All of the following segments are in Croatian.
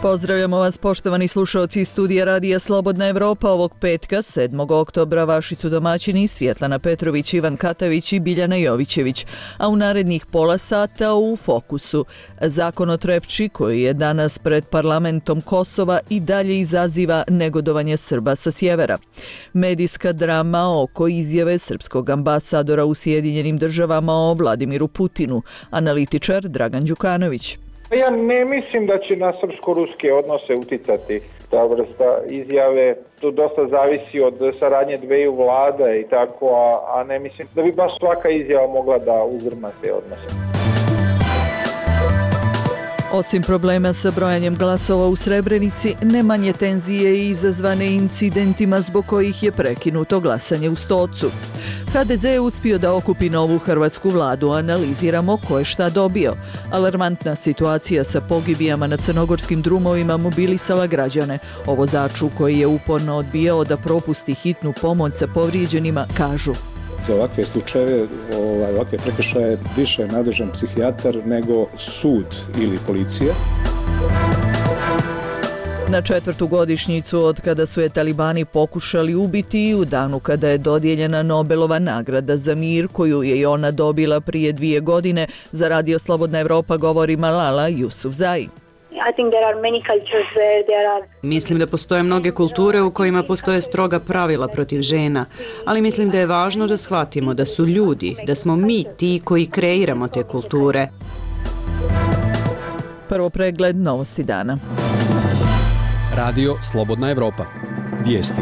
Pozdravljamo vas, poštovani slušaoci iz studija Radija Slobodna Evropa. Ovog petka, 7. oktobra, vaši su domaćini Svjetlana Petrović, Ivan Katavić i Biljana Jovićević. A u narednih pola sata u fokusu. Zakon o Trepči, koji je danas pred parlamentom Kosova, i dalje izaziva negodovanje Srba sa sjevera. Medijska drama oko izjave srpskog ambasadora u Sjedinjenim državama o Vladimiru Putinu. Analitičar Dragan Đukanović. Ja ne mislim da će na srpsko-ruske odnose uticati ta vrsta izjave. To dosta zavisi od saradnje dveju vlada i tako, a ne mislim da bi baš svaka izjava mogla da uzdrma te odnose. Osim problema sa brojanjem glasova u Srebrenici, ne manje tenzije i izazvane incidentima zbog kojih je prekinuto glasanje u Stocu. HDZ je uspio da okupi novu hrvatsku vladu, analiziramo ko je šta dobio. Alarmantna situacija sa pogibijama na crnogorskim drumovima mobilisala građane. O vozaču koji je uporno odbijao da propusti hitnu pomoć sa povrijeđenima kažu: za ovakve slučajeve, ovakve prekršaje više je nadležan psihijatar nego sud ili policija. Na 4. godišnjicu od kada su je talibani pokušali ubiti i u danu kada je dodijeljena Nobelova nagrada za mir, koju je i ona dobila prije 2 godine, za Radio Slobodna Evropa govori Malala Yousafzai. Mislim da postoje mnoge kulture u kojima postoje stroga pravila protiv žena, ali mislim da je važno da shvatimo da su ljudi, da smo mi ti koji kreiramo te kulture. Prvo pregled novosti dana. Radio Slobodna Evropa. Vijesti.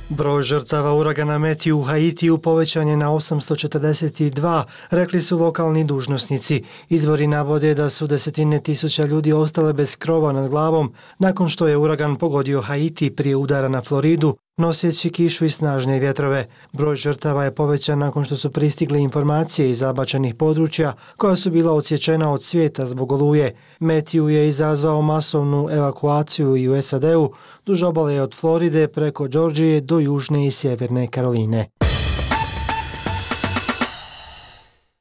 Broj žrtava uragana Matthew u Haitiju povećan je na 842, rekli su lokalni dužnosnici. Izvori navode da su desetine tisuća ljudi ostale bez krova nad glavom nakon što je uragan pogodio Haiti prije udara na Floridu, noseći kišu i snažne vjetrove. Broj žrtava je povećan nakon što su pristigle informacije iz zabačenih područja koja su bila odsječena od svijeta zbog oluje. Matthew je izazvao masovnu evakuaciju i u SAD-u, duž obale od Floride preko Georgije do Južne i Sjeverne Karoline.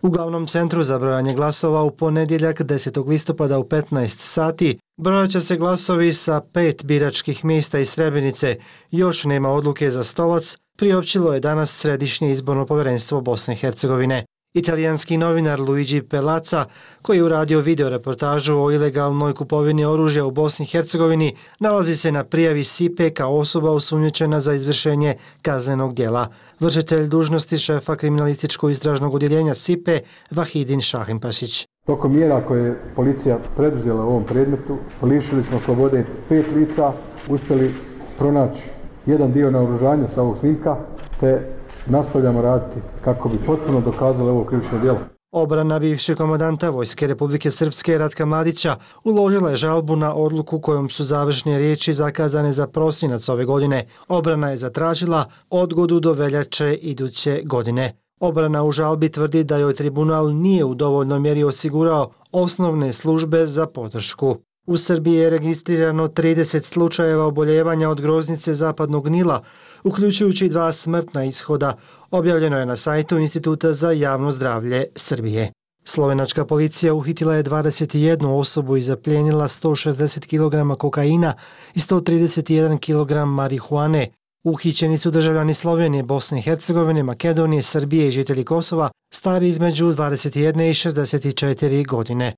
U glavnom centru za brojanje glasova u ponedjeljak 10. listopada u 15 sati brojat će se glasovi sa 5 biračkih mjesta iz Srebrenice. Još nema odluke za Stolac, priopćilo je danas Središnje izborno povjerenstvo Bosne i Hercegovine. Italijanski novinar Luigi Pellazza, koji je uradio video reportažu o ilegalnoj kupovini oružja u Bosni i Hercegovini, nalazi se na prijavi SIPE kao osoba osumnjičena za izvršenje kaznenog djela. Vršitelj dužnosti šefa kriminalističkog istražnog odjeljenja SIPE Vahidin Šahimpašić. Tokom mjera koje je policija preduzela u ovom predmetu, lišili smo slobode 5 lica, uspjeli pronaći jedan dio naoružanja sa ovog snimka, te nastavljamo raditi kako bi potpuno dokazali ovo krivično djelo. Obrana bivšeg komandanta Vojske Republike Srpske Ratka Mladića uložila je žalbu na odluku kojom su završne riječi zakazane za prosinac ove godine. Obrana je zatražila odgodu do veljače iduće godine. Obrana u žalbi tvrdi da joj tribunal nije u dovoljnoj mjeri osigurao osnovne službe za podršku. U Srbiji je registrirano 30 slučajeva oboljevanja od groznice zapadnog Nila, uključujući 2 smrtna ishoda, objavljeno je na sajtu Instituta za javno zdravlje Srbije. Slovenačka policija uhitila je 21 osobu i zaplijenila 160 kg kokaina i 131 kg marihuane. Uhićeni su državljani Slovenije, Bosne i Hercegovine, Makedonije, Srbije i žitelji Kosova, stari između 21 i 64 godine.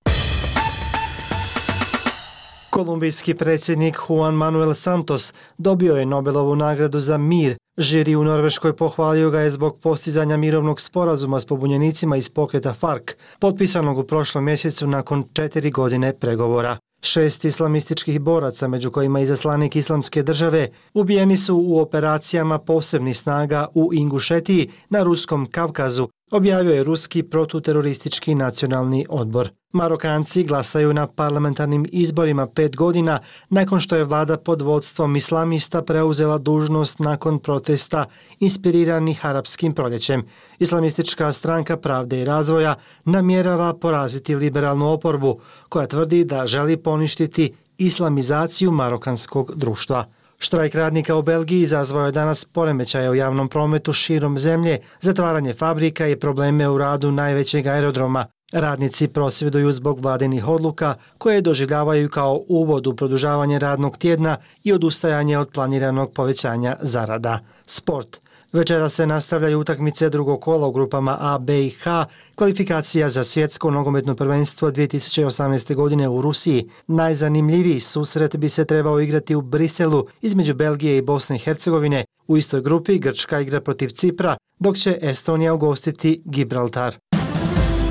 Kolumbijski predsjednik Juan Manuel Santos dobio je Nobelovu nagradu za mir. Žiri u Norveškoj pohvalio ga je zbog postizanja mirovnog sporazuma s pobunjenicima iz pokreta FARC, potpisanog u prošlom mjesecu nakon 4 godine pregovora. 6 islamističkih boraca, među kojima i izaslanik Islamske države, ubijeni su u operacijama posebnih snaga u Ingušetiji na Ruskom Kavkazu, objavio je Ruski protuteroristički nacionalni odbor. Marokanci glasaju na parlamentarnim izborima 5 godina nakon što je vlada pod vodstvom islamista preuzela dužnost nakon protesta inspiriranih arapskim proljećem. Islamistička stranka Pravde i razvoja namjerava poraziti liberalnu oporbu, koja tvrdi da želi poništiti islamizaciju marokanskog društva. Štrajk radnika u Belgiji izazvao je danas poremećaje u javnom prometu širom zemlje, zatvaranje fabrika i probleme u radu najvećeg aerodroma. Radnici prosvjeduju zbog vladinih odluka koje doživljavaju kao uvod u produžavanje radnog tjedna i odustajanje od planiranog povećanja zarada. Sport. Večera se nastavljaju utakmice drugog kola u grupama A, B i H, kvalifikacija za svjetsko nogometno prvenstvo 2018. godine u Rusiji. Najzanimljiviji susret bi se trebao igrati u Briselu između Belgije i Bosne i Hercegovine. U istoj grupi Grčka igra protiv Cipra, dok će Estonija ugostiti Gibraltar.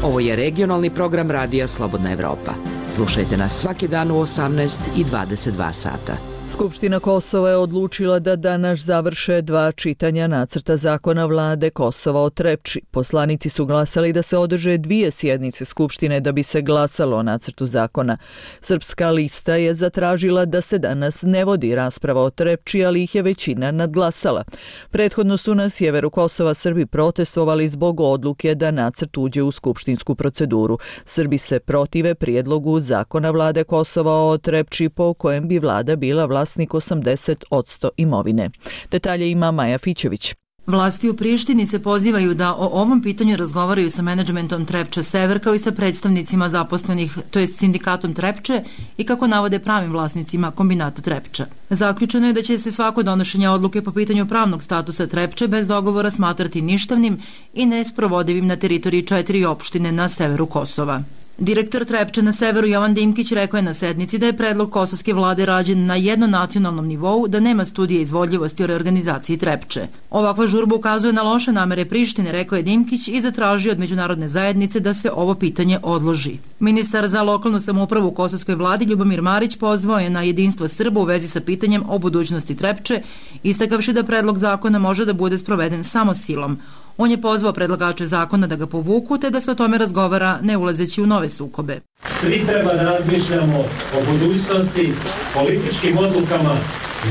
Ovo je regionalni program Radija Slobodna Evropa. Slušajte nas svaki dan u 18 i 22 sata. Skupština Kosova je odlučila da danas završe 2 čitanja nacrta zakona vlade Kosova o Trepči. Poslanici su glasali da se održe 2 sjednice Skupštine da bi se glasalo o nacrtu zakona. Srpska lista je zatražila da se danas ne vodi rasprava o Trepči, ali ih je većina nadglasala. Prethodno su na sjeveru Kosova Srbi protestovali zbog odluke da nacrt uđe u skupštinsku proceduru. Srbi se protive prijedlogu zakona vlade Kosova o Trepči po kojem bi vlada bila vlasnik 80% imovine. Detalje ima Maja Fićević. Vlasti u Prištini se pozivaju da o ovom pitanju razgovaraju sa menadžmentom Trepče Sever kao i sa predstavnicima zaposlenih, to jest sindikatom Trepče i kako navode pravim vlasnicima kombinata Trepča. Zaključeno je da će se svako donošenje odluke po pitanju pravnog statusa Trepče bez dogovora smatrati ništavnim i nesprovodivim na teritoriji 4 opštine na severu Kosova. Direktor Trepče na severu Jovan Dimkić rekao je na sednici da je predlog kosovske vlade rađen na jednonacionalnom nivou, da nema studije izvodljivosti o reorganizaciji Trepče. Ovakva žurba ukazuje na loše namere Prištine, rekao je Dimkić i zatražio od međunarodne zajednice da se ovo pitanje odloži. Ministar za lokalnu samoupravu u kosovskoj vladi Ljubomir Marić pozvao je na jedinstvo Srba u vezi sa pitanjem o budućnosti Trepče, istakavši da predlog zakona može da bude sproveden samo silom. On je pozvao predlagače zakona da ga povuku te da se o tome razgovara ne ulazeći u nove sukobe. Svi treba da razmišljamo o budućnosti, političkim odlukama,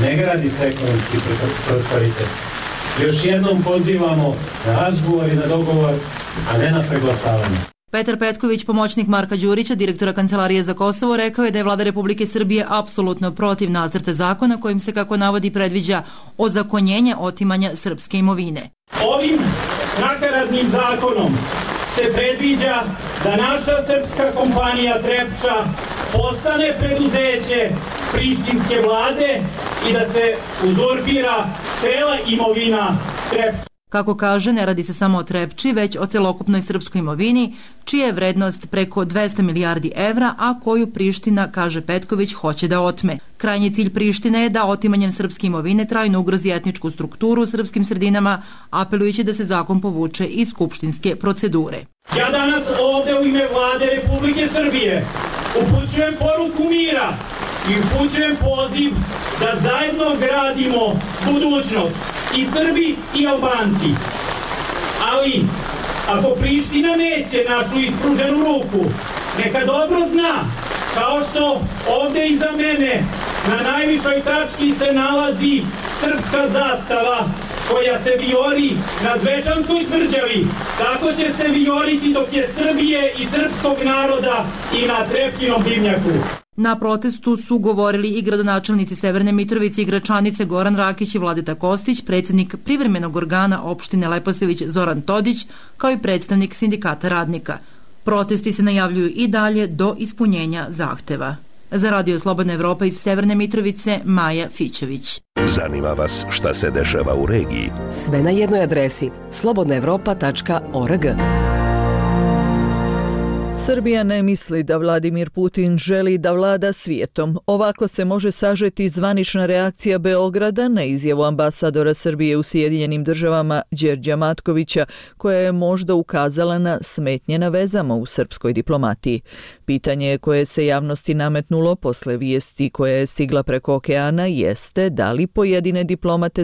ne gradi se ekonomski prosperitet. Još jednom pozivamo na razgovor i na dogovor, a ne na preglasavanje. Petar Petković, pomoćnik Marka Đurića, direktora Kancelarije za Kosovo, rekao je da je vlada Republike Srbije apsolutno protiv nacrta zakona kojim se, kako navodi, predviđa ozakonjenje otimanja srpske imovine. Ovim nakaradnim zakonom se predviđa da naša srpska kompanija Trepča postane preduzeće prištinske vlade i da se uzurpira cela imovina Trepča. Kako kaže, ne radi se samo o Trepči, već o celokupnoj srpskoj imovini, čija je vrednost preko 200 milijardi evra, a koju Priština, kaže Petković, hoće da otme. Krajnji cilj Prištine je da otimanjem srpske imovine trajno ugrozi etničku strukturu u srpskim sredinama, apelujući da se zakon povuče iz skupštinske procedure. Ja danas ovde u ime vlade Republike Srbije upućujem poruku mira i upućujem poziv da zajedno gradimo budućnost, i Srbi i Albanci. Ali, ako Priština neće našu ispruženu ruku, neka dobro zna, kao što ovde iza mene na najvišoj tački se nalazi srpska zastava koja se vijori na Zvečanskoj tvrđavi, tako će se vijoriti dok je Srbije i srpskog naroda i na Trepčinom dimnjaku. Na protestu su govorili i gradonačelnici Severne Mitrovice i Gračanice Goran Rakić i Vladeta Kostić, predsjednik privremenog organa opštine Leposević Zoran Todić, kao i predstavnik sindikata radnika. Protesti se najavljuju i dalje do ispunjenja zahteva. Za Radio Slobodna Evropa iz Severne Mitrovice, Maja Fićević. Zanima vas šta se dešava u regiji? Sve na jednoj adresi slobodnaevropa.org. Srbija ne misli da Vladimir Putin želi da vlada svijetom. Ovako se može sažeti zvanična reakcija Beograda na izjavu ambasadora Srbije u Sjedinjenim državama Đerđa Matkovića, koja je možda ukazala na smetnje na vezama u srpskoj diplomatiji. Pitanje koje se javnosti nametnulo posle vijesti koja je stigla preko okeana jeste da li pojedine diplomate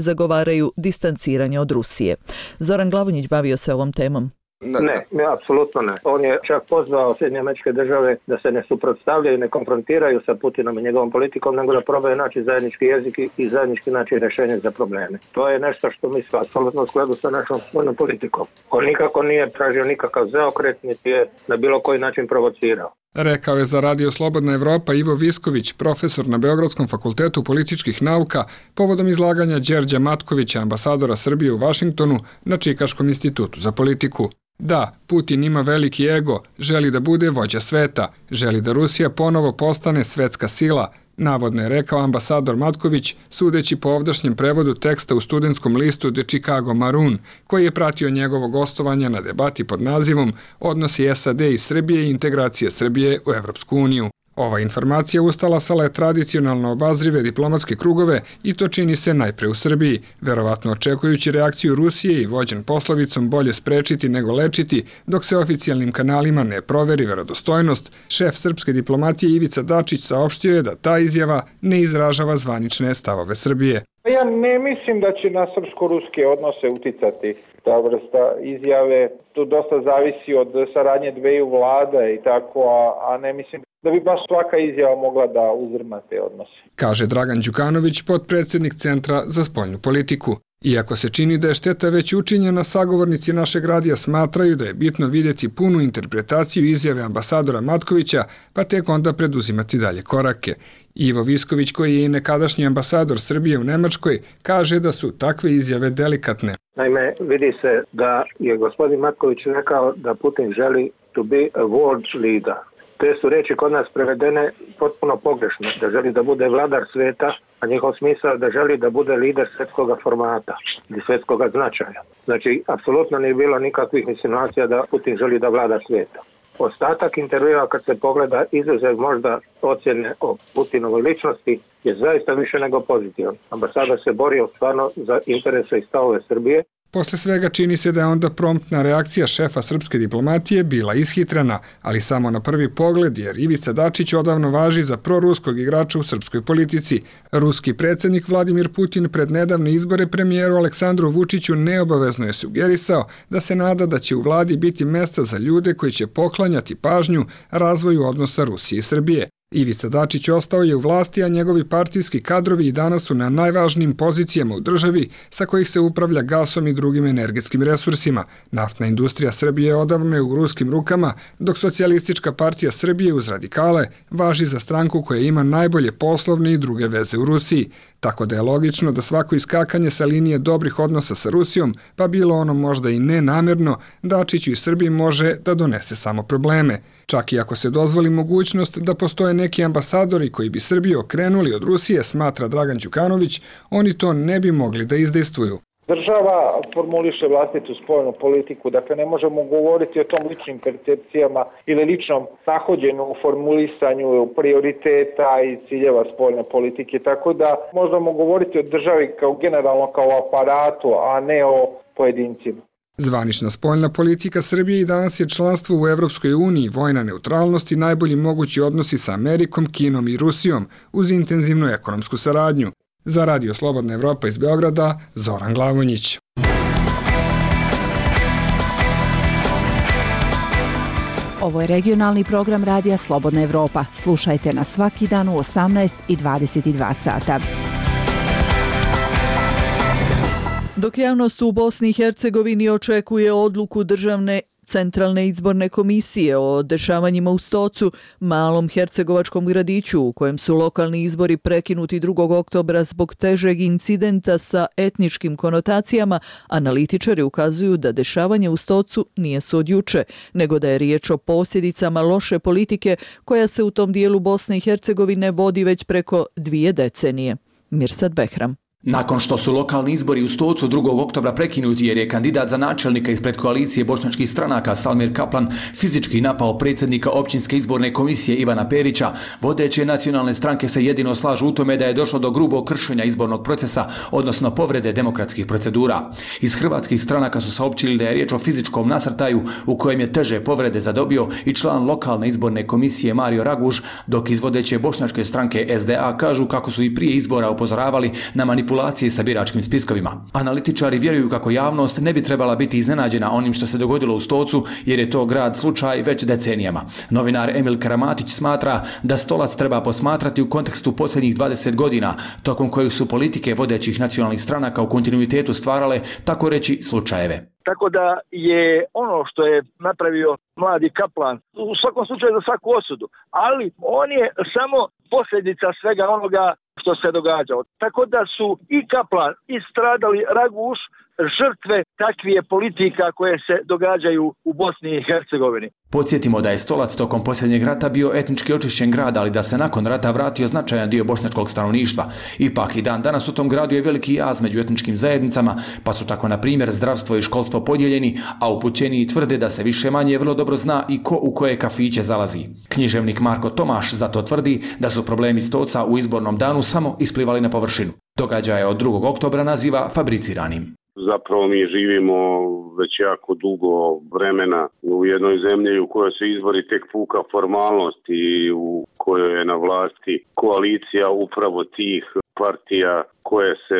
distanciranje od Rusije. Zoran Glavonjić bavio se ovom temom. Ne, apsolutno ne. On je čak pozvao Sjedinjene Američke Države da se ne suprotstavljaju i ne konfrontiraju sa Putinom i njegovom politikom, nego da probaju naći zajednički jezik i zajednički naći rješenje za probleme. To je nešto što mi smo apsolutno u skladu sa našom vojnom politikom. On nikako nije tražio nikakav zaokret, niti je na bilo koji način provocirao. Rekao je za Radio Slobodna Evropa Ivo Visković, profesor na Beogradskom fakultetu političkih nauka, povodom izlaganja Đerđa Matkovića, ambasadora Srbije u Vašingtonu na Čikaškom institutu za politiku. Da, Putin ima veliki ego, želi da bude vođa sveta, želi da Rusija ponovo postane svetska sila, navodno je rekao ambasador Matković, sudeći po ovdašnjem prevodu teksta u studentskom listu The Chicago Maroon, koji je pratio njegovo gostovanje na debati pod nazivom Odnosi SAD i Srbije i integracije Srbije u Evropsku uniju. Ova informacija ustalasala je tradicionalno obazrive diplomatske krugove i to čini se najpre u Srbiji, verovatno očekujući reakciju Rusije i vođen poslovicom bolje sprečiti nego lečiti, dok se oficijalnim kanalima ne proveri verodostojnost, šef srpske diplomatije Ivica Dačić saopštio je da ta izjava ne izražava zvanične stavove Srbije. Ja ne mislim da će na srpsko-ruske odnose uticati ta vrsta izjave. Tu dosta zavisi od saradnje dveju vlada i tako, a ne mislim da bi baš svaka izjava mogla da uzrma te odnose. Kaže Dragan Đukanović, potpredsjednik Centra za spoljnu politiku. Iako se čini da je šteta već učinjena, sagovornici našeg radija smatraju da je bitno vidjeti punu interpretaciju izjave ambasadora Matkovića, pa tek onda preduzimati dalje korake. Ivo Visković, koji je i nekadašnji ambasador Srbije u Nemačkoj, kaže da su takve izjave delikatne. Naime, vidi se da je gospodin Matković rekao da Putin želi to be a world leader. Te su reči kod nas prevedene potpuno pogrešno, da želi da bude vladar sveta, a njihov smisao da želi da bude lider svjetskog formata ili svjetskog značaja. Znači, apsolutno nije bilo nikakvih insinuacija da Putin želi da vlada svijeta. Ostatak intervjua, kad se pogleda, izuzev možda ocjene o Putinovoj ličnosti, je zaista više nego pozitivan. Ambasador se borio stvarno za interese i stavove Srbije. Posle svega čini se da je onda promptna reakcija šefa srpske diplomatije bila ishitrena, ali samo na prvi pogled, jer Ivica Dačić odavno važi za proruskog igrača u srpskoj politici. Ruski predsjednik Vladimir Putin pred nedavne izbore premijeru Aleksandru Vučiću neobavezno je sugerisao da se nada da će u vladi biti mesta za ljude koji će poklanjati pažnju razvoju odnosa Rusije i Srbije. Ivica Dačić ostao je u vlasti, a njegovi partijski kadrovi i danas su na najvažnijim pozicijama u državi sa kojih se upravlja gasom i drugim energetskim resursima. Naftna industrija Srbije odavno je u ruskim rukama, dok Socijalistička partija Srbije uz radikale važi za stranku koja ima najbolje poslovne i druge veze u Rusiji. Tako da je logično da svako iskakanje sa linije dobrih odnosa sa Rusijom, pa bilo ono možda i nenamjerno, Dačiću i Srbiji može da donese samo probleme. Čak i ako se dozvoli mogućnost da postoje neki ambasadori koji bi Srbiju okrenuli od Rusije, smatra Dragan Đukanović, oni to ne bi mogli da izdejstvuju. Država formuliše vlastitu spoljnu politiku, dakle ne možemo govoriti o tom ličnim percepcijama ili ličnom nahođenju u formulisanju prioriteta i ciljeva spoljne politike, tako da možemo govoriti o državi kao generalno kao aparatu, a ne o pojedincima. Zvanična spoljna politika Srbije i danas je članstvo u Evropskoj uniji, vojna neutralnost i najbolji mogući odnosi sa Amerikom, Kinom i Rusijom uz intenzivnu ekonomsku saradnju. Za Radio Slobodna Evropa iz Beograda, Zoran Glavonjić. Ovo je regionalni program Radija Slobodna Evropa. Slušajte nas svaki dan u 18 i 22 sata. Dok javnost u Bosni i Hercegovini očekuje odluku državne Centralne izborne komisije o dešavanjima u Stocu, malom hercegovačkom gradiću u kojem su lokalni izbori prekinuti 2. oktobra zbog težeg incidenta sa etničkim konotacijama, analitičari ukazuju da dešavanje u Stocu nije se od juče, nego da je riječ o posljedicama loše politike koja se u tom dijelu Bosne i Hercegovine vodi već preko 2 decenije. Mirsad Behram. Nakon što su lokalni izbori u Stocu 2. oktobra prekinuti jer je kandidat za načelnika ispred koalicije bošnjačkih stranaka Salmir Kaplan fizički napao predsjednika općinske izborne komisije Ivana Perića, vodeće nacionalne stranke se jedino slažu u tome da je došlo do grubog kršenja izbornog procesa, odnosno povrede demokratskih procedura. Iz hrvatskih stranaka su saopćili da je riječ o fizičkom nasrtaju u kojem je teže povrede zadobio i član lokalne izborne komisije Mario Raguž, dok iz vodeće bošnjačke stranke SDA kažu kako su i prije izbora upozoravali na manipulacije sa biračkim spiskovima. Analitičari vjeruju kako javnost ne bi trebala biti iznenađena onim što se dogodilo u Stocu, jer je to grad slučaj već decenijama. Novinar Emil Karamatić smatra da Stolac treba posmatrati u kontekstu posljednjih 20 godina, tokom kojih su politike vodećih nacionalnih stranaka u kontinuitetu stvarale, tako reći, slučajeve. Tako da je ono što je napravio mladi Kaplan u svakom slučaju za svaku osudu, ali on je samo posljedica svega onoga što se događalo. Tako da su i Kaplan i stradali Raguš žrtve takvih politika koje se događaju u Bosni i Hercegovini. Podsjetimo da je Stolac tokom posljednjeg rata bio etnički očišćen grad, ali da se nakon rata vratio značajan dio bošnjačkog stanovništva. Ipak i dan danas u tom gradu je veliki jaz među etničkim zajednicama, pa su tako na primjer zdravstvo i školstvo podijeljeni, a upućeniji tvrde da se više manje vrlo dobro zna i ko u koje kafiće zalazi. Književnik Marko Tomaš zato tvrdi da su problemi Stoca u izbornom danu samo isplivali na površinu. Događaje od 2. oktobra naziva fabriciranim. Zapravo mi živimo već jako dugo vremena u jednoj zemlji u kojoj su izbori tek puka formalnost i u kojoj je na vlasti koalicija upravo tih partija koje se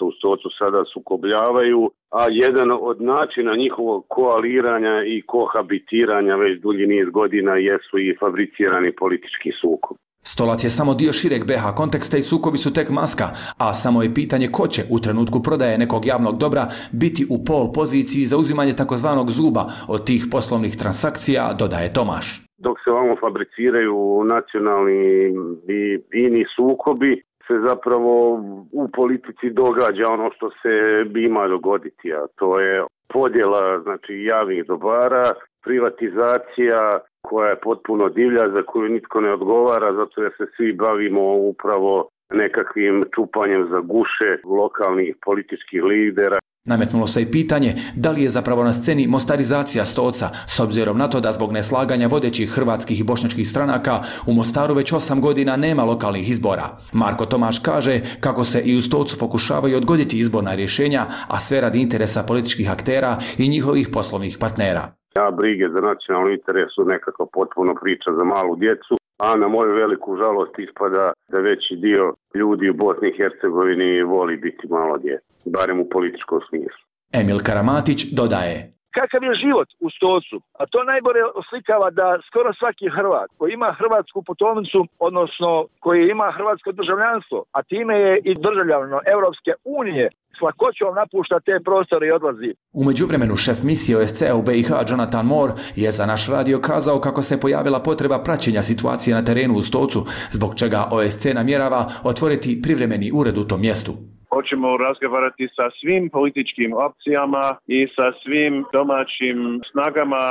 u Stocu sada sukobljavaju, a jedan od načina njihovog koaliranja i kohabitiranja već dulji niz godina jesu i fabricirani politički sukob. Stolac je samo dio šireg BH konteksta i sukobi su tek maska, a samo je pitanje ko će u trenutku prodaje nekog javnog dobra biti u pol poziciji za uzimanje takozvanog zuba od tih poslovnih transakcija, dodaje Tomaš. Dok se ovamo fabriciraju nacionalni i ini sukobi, se zapravo u politici događa ono što se ima dogoditi, a to je podjela javnih dobara, privatizacija koja je potpuno divlja, za koju nitko ne odgovara, zato jer se svi bavimo upravo nekakvim čupanjem za guše lokalnih političkih lidera. Nametnulo se i pitanje da li je zapravo na sceni mostarizacija Stoca, s obzirom na to da zbog neslaganja vodećih hrvatskih i bošnjačkih stranaka u Mostaru već 8 godina nema lokalnih izbora. Marko Tomaš kaže kako se i u Stocu pokušavaju odgoditi izborna rješenja, a sve radi interesa političkih aktera i njihovih poslovnih partnera. Brige za nacionalni interes su nekako potpuno priča za malu djecu, a na moju veliku žalost ispada da veći dio ljudi u Bosni i Hercegovini voli biti malo djece, barem u političkom smislu. Emil Karamatić dodaje: Kakav je život u Stocu? A to najbolje oslikava da skoro svaki Hrvat koji ima hrvatsku putovnicu, odnosno koji ima hrvatsko državljanstvo, a time je i državljanstvo Europske unije, s lakoćom napušta te prostore i odlazi. U međuvremenu šef misije OSCE u BiH Jonathan Moore je za naš radio kazao kako se pojavila potreba praćenja situacije na terenu u Stocu, zbog čega OSCE namjerava otvoriti privremeni ured u tom mjestu. Hoćemo razgovarati sa svim političkim opcijama i sa svim domaćim snagama,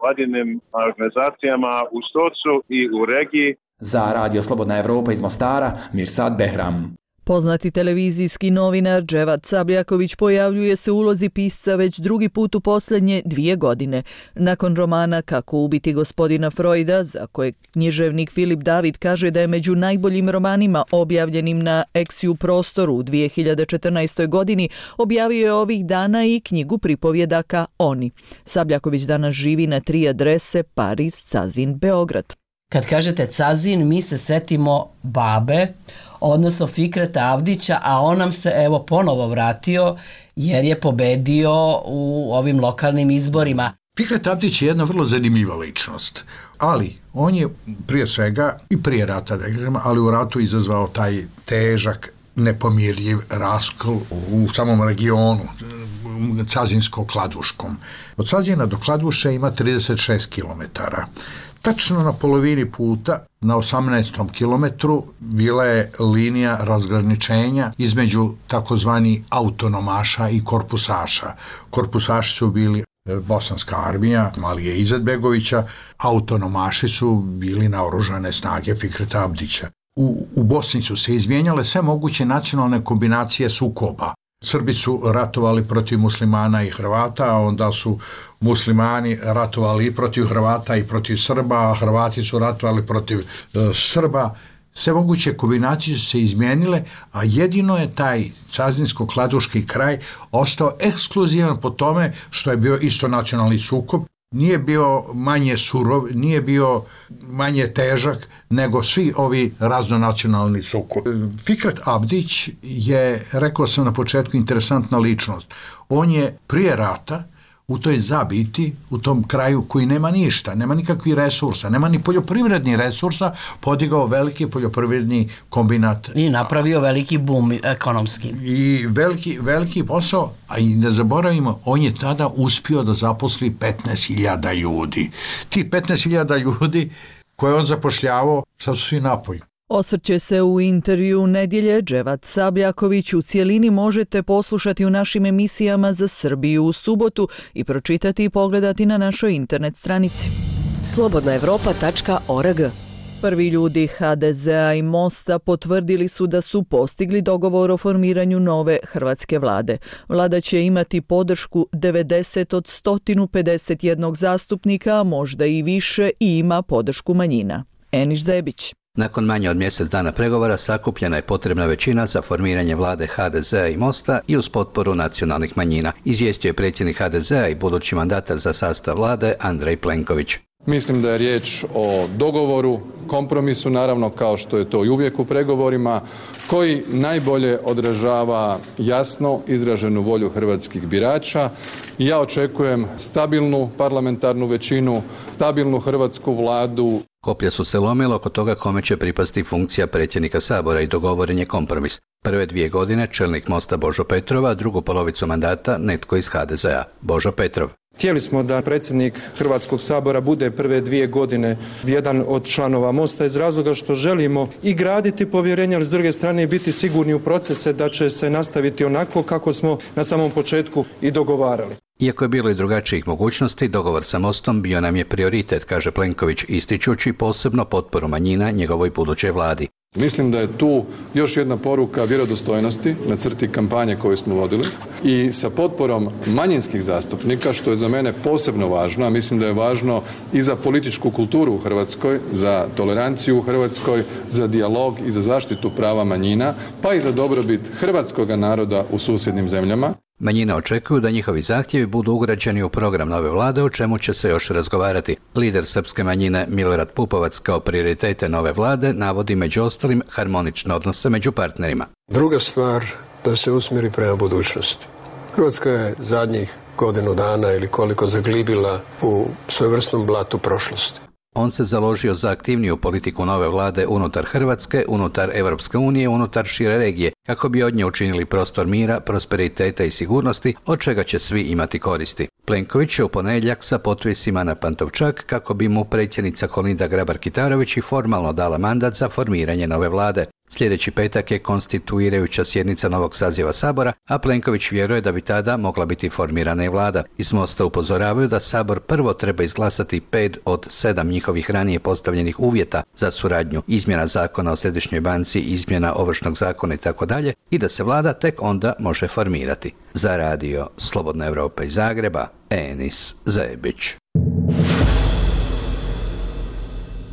vladinim organizacijama u Stocu i u regiji. Za Radio Slobodna Evropa iz Mostara, Mirsad Behram. Poznati televizijski novinar Dževad Sabljaković pojavljuje se u ulozi pisca već drugi put u posljednje 2 godine. Nakon romana Kako ubiti gospodina Freuda, za kojeg književnik Filip David kaže da je među najboljim romanima objavljenim na Exiju prostoru u 2014. godini, objavio je ovih dana i knjigu pripovjedaka Oni. Sabljaković danas živi na 3 adrese: Pariz, Cazin, Beograd. Kad kažete Cazin, mi se setimo babe, odnosno Fikreta Avdića, a on nam se evo ponovo vratio jer je pobedio u ovim lokalnim izborima. Fikret Avdić je jedna vrlo zanimljiva ličnost, ali on je prije svega i prije rata, ali u ratu izazvao taj težak, nepomirljiv raskol u samom regionu Cazinsko-Kladuškom. Od Cazina do Kladuše ima 36 kilometara. Tačno na polovini puta, na 18. kilometru, bila je linija razgraničenja između takozvani autonomaša i korpusaša. Korpusaši su bili bosanska armija Alije Izetbegovića, autonomaši su bili naoružane snage Fikreta Abdića. U Bosni su se izmijenjale sve moguće nacionalne kombinacije sukoba. Srbi su ratovali protiv muslimana i Hrvata, a onda su muslimani ratovali i protiv Hrvata i protiv Srba, a Hrvati su ratovali protiv Srba. Sve moguće kombinacije su se izmijenile, a jedino je taj Cazinsko-Kladuški kraj ostao ekskluzivan po tome što je bio isto nacionalni sukob. Nije bio manje surov, nije bio manje težak nego svi ovi raznonacionalni sukobi. Fikret Abdić je, rekao sam na početku, interesantna ličnost. On je prije rata u toj zabiti, u tom kraju koji nema ništa, nema nikakvih resursa, nema ni poljoprivrednih resursa, podigao veliki poljoprivredni kombinat. I napravio veliki bum ekonomski. I veliki posao, a i ne zaboravimo, on je tada uspio da zaposli 15.000 ljudi. Ti 15.000 ljudi koje on zapošljavao, sad su svi napolju. Osvrće se u intervju nedjelje Dževat Sabljaković. U cijelini možete poslušati u našim emisijama za Srbiju u subotu i pročitati i pogledati na našoj internet stranici. slobodnaevropa.org. Prvi ljudi HDZ-a i Mosta potvrdili su da su postigli dogovor o formiranju nove hrvatske vlade. Vlada će imati podršku 90 od 151 zastupnika, a možda i više, i ima podršku manjina. Eniš Zebić. Nakon manje od mjesec dana pregovora sakupljena je potrebna većina za formiranje vlade HDZ-a i Mosta i uz potporu nacionalnih manjina, izvijestio je predsjednik HDZ-a i budući mandatar za sastav vlade Andrej Plenković. Mislim da je riječ o dogovoru, kompromisu, naravno kao što je to i uvijek u pregovorima, koji najbolje odražava jasno izraženu volju hrvatskih birača. I ja očekujem stabilnu parlamentarnu većinu, stabilnu hrvatsku vladu. Koplja su se lomila oko toga kome će pripasti funkcija predsjednika Sabora i dogovoren je kompromis. Prve 2 godine čelnik Mosta Božo Petrov, a drugu polovicu mandata netko iz HDZ-a, Božo Petrov. Htjeli smo da predsjednik Hrvatskog sabora bude prve 2 godine jedan od članova Mosta iz razloga što želimo i graditi povjerenje, ali s druge strane biti sigurni u procese da će se nastaviti onako kako smo na samom početku i dogovarali. Iako je bilo i drugačijih mogućnosti, dogovor sa Mostom bio nam je prioritet, kaže Plenković, ističući posebno potporu manjina njegovoj budućoj vladi. Mislim da je tu još jedna poruka vjerodostojnosti na crti kampanje koju smo vodili i sa potporom manjinskih zastupnika, što je za mene posebno važno, a mislim da je važno i za političku kulturu u Hrvatskoj, za toleranciju u Hrvatskoj, za dijalog i za zaštitu prava manjina, pa i za dobrobit hrvatskoga naroda u susjednim zemljama. Manjine očekuju da njihovi zahtjevi budu ugrađeni u program nove vlade, o čemu će se još razgovarati. Lider srpske manjine Milorad Pupovac kao prioritete nove vlade navodi među ostalim harmonične odnose među partnerima. Druga stvar, da se usmjeri prema budućnosti. Hrvatska je zadnjih godinu dana ili koliko zaglibila u svojevrsnom blatu prošlosti. On se založio za aktivniju politiku nove vlade unutar Hrvatske, unutar Europske unije, unutar šire regije, kako bi od nje učinili prostor mira, prosperiteta i sigurnosti, od čega će svi imati koristi. Plenković je u ponedjeljak sa potpisima na Pantovčak kako bi mu predsjednica Kolinda Grabar-Kitarović i formalno dala mandat za formiranje nove vlade. Sljedeći petak je konstituirajuća sjednica novog saziva Sabora, a Plenković vjeruje da bi tada mogla biti formirana i vlada. Iz Mosta upozoravaju da Sabor prvo treba izglasati 5 od 7 njihovih ranije postavljenih uvjeta za suradnju, izmjena zakona o središnjoj banci, izmjena ovršnog zakona itd. i da se vlada tek onda može formirati. Za radio Slobodna Evropa iz Zagreba, Enis Zebić.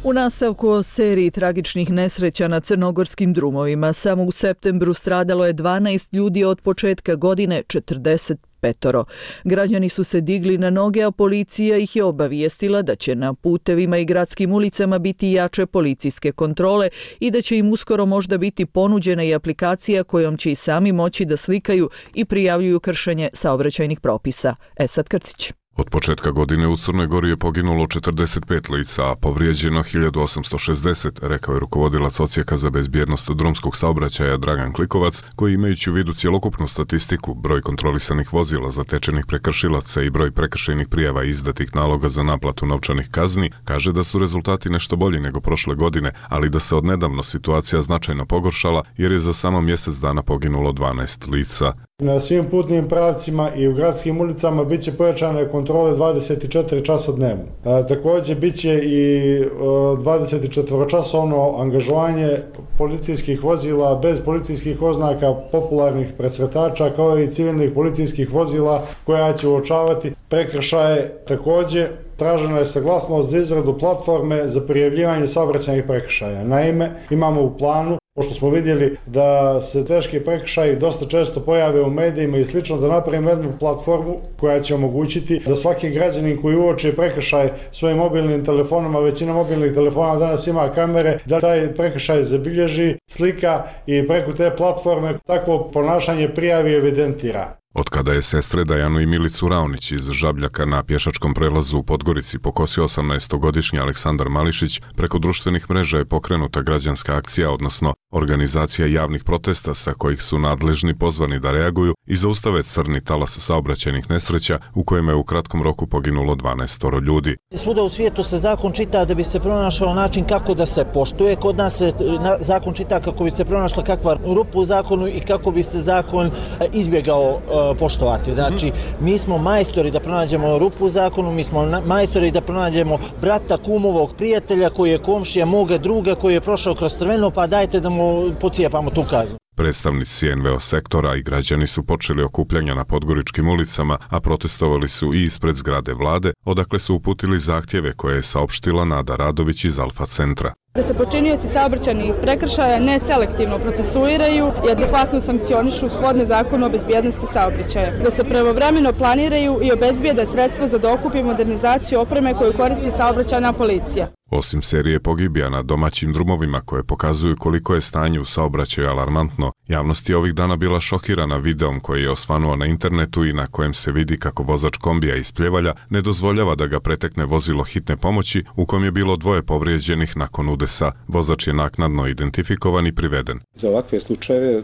U nastavku o seriji tragičnih nesreća na crnogorskim drumovima, samo u septembru stradalo je 12 ljudi, od početka godine 45. Građani su se digli na noge, a policija ih je obavijestila da će na putevima i gradskim ulicama biti jače policijske kontrole i da će im uskoro možda biti ponuđena i aplikacija kojom će i sami moći da slikaju i prijavljuju kršenje saobraćajnih propisa. Esad Krcić. Od početka godine u Crnoj Gori je poginulo 45 lica, a povrijeđeno 1860, rekao je rukovodilac Odsjeka za bezbjednost drumskog saobraćaja Dragan Klikovac, koji imajući u vidu cjelokupnu statistiku, broj kontrolisanih vozila, zatečenih prekršilaca i broj prekršajnih prijava i izdatih naloga za naplatu novčanih kazni, kaže da su rezultati nešto bolji nego prošle godine, ali da se odnedavno situacija značajno pogoršala jer je za samo mjesec dana poginulo 12 lica. Na svim putnim pravcima i u gradskim ulicama bit će pojačane kontrole 24 časa dnevno. Također bit će i 24-časovno angažovanje policijskih vozila bez policijskih oznaka, popularnih presretača, kao i civilnih policijskih vozila koja će uočavati prekršaje. Također tražena je saglasnost za izradu platforme za prijavljivanje saobraćajnih prekršaja. Naime, imamo u planu, pošto smo vidjeli da se teški prekršaji dosta često pojave u medijima i slično, da napravimo jednu platformu koja će omogućiti da svaki građanin koji uoči prekršaj svojim mobilnim telefonom, a većina mobilnih telefona danas ima kamere, da taj prekršaj zabilježi, slika i preko te platforme takvo ponašanje prijavi i evidentira. Od kada je sestre Dajanu i Milicu Raonić iz Žabljaka na pješačkom prelazu u Podgorici pokosio 18-godišnji Aleksandar Mališić, preko društvenih mreža je pokrenuta građanska akcija, odnosno organizacija javnih protesta sa kojih su nadležni pozvani da reaguju i zaustave crni talas saobraćajnih nesreća u kojima je u kratkom roku poginulo 12 ljudi. Svuda u svijetu se zakon čita da bi se pronašao način kako da se poštuje. Kod nas se zakon čita kako bi se pronašla kakva rupa u zakonu i kako bi se zakon izbjegao poštovati. Znači, mi smo majstori da pronađemo rupu u zakonu, mi smo majstori da pronađemo brata, kumovog prijatelja koji je komšija moga druga koji je prošao kroz crveno, pa dajte da mu pocijepamo tu kaznu. Predstavnici NVO sektora i građani su počeli okupljanja na podgoričkim ulicama, a protestovali su i ispred zgrade vlade, odakle su uputili zahtjeve koje je saopštila Nada Radović iz Alfa centra. Da se počinioci saobraćajnih prekršaja neselektivno procesuiraju i adekvatno sankcionišu shodno zakonu o bezbjednosti saobraćaja. Da se pravovremeno planiraju i obezbijede sredstva za dokup i modernizaciju opreme koju koristi saobraćajna policija. Osim serije pogibija na domaćim drumovima koje pokazuju koliko je stanje u saobraćaju alarmantno, javnost je ovih dana bila šokirana videom koji je osvanuo na internetu i na kojem se vidi kako vozač kombija iz Pljevalja ne dozvoljava da ga pretekne vozilo hitne pomoći u kojem je bilo 2 povrijeđenih nakon udesa. Vozač je naknadno identifikovan i priveden. Za ovakve slučajeve,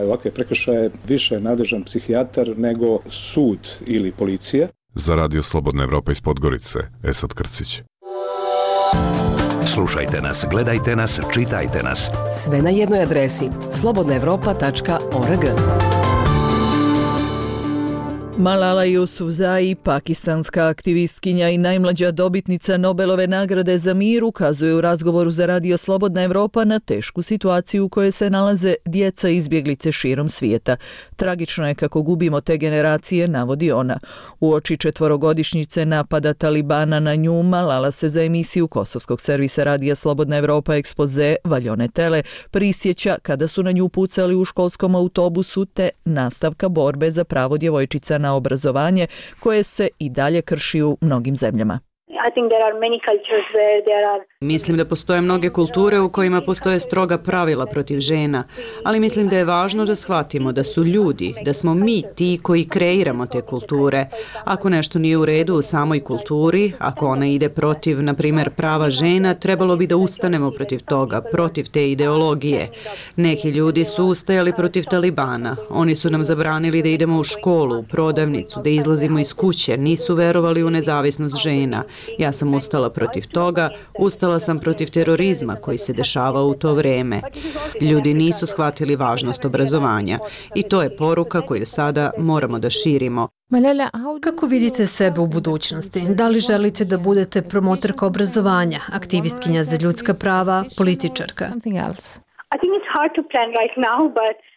ovakve prekršaje više je nadležan psihijatar nego sud ili policija. Za Radio Slobodna Evropa iz Podgorice, Esad Krcić. Slušajte nas, gledajte nas, čitajte nas. Sve na jednoj adresi slobodnaevropa.org. Malala Yousafzai, pakistanska aktivistkinja i najmlađa dobitnica Nobelove nagrade za mir, ukazuje u razgovoru za Radio Slobodna Evropa na tešku situaciju u kojoj se nalaze djeca izbjeglice širom svijeta. Tragično je kako gubimo te generacije, navodi ona. Uoči 4-godišnjice napada Talibana na nju, Malala se za emisiju kosovskog servisa Radija Slobodna Evropa Ekspoze Valjone Tele prisjeća kada su na nju pucali u školskom autobusu te nastavka borbe za pravo djevojčica na obrazovanje koje se i dalje krši u mnogim zemljama. Mislim da postoje mnoge kulture u kojima postoje stroga pravila protiv žena, ali mislim da je važno da shvatimo da su ljudi, da smo mi ti koji kreiramo te kulture. Ako nešto nije u redu u samoj kulturi, ako ona ide protiv, na primjer, prava žena, trebalo bi da ustanemo protiv toga, protiv te ideologije. Neki ljudi su ustajali protiv Talibana. Oni su nam zabranili da idemo u školu, u prodavnicu, da izlazimo iz kuće, nisu verovali u nezavisnost žena. Ja sam ustala protiv toga, ustala sam protiv terorizma koji se dešavao u to vrijeme. Ljudi nisu shvatili važnost obrazovanja i to je poruka koju sada moramo da širimo. Kako vidite sebe u budućnosti? Da li želite da budete promotorka obrazovanja, aktivistkinja za ljudska prava, političarka?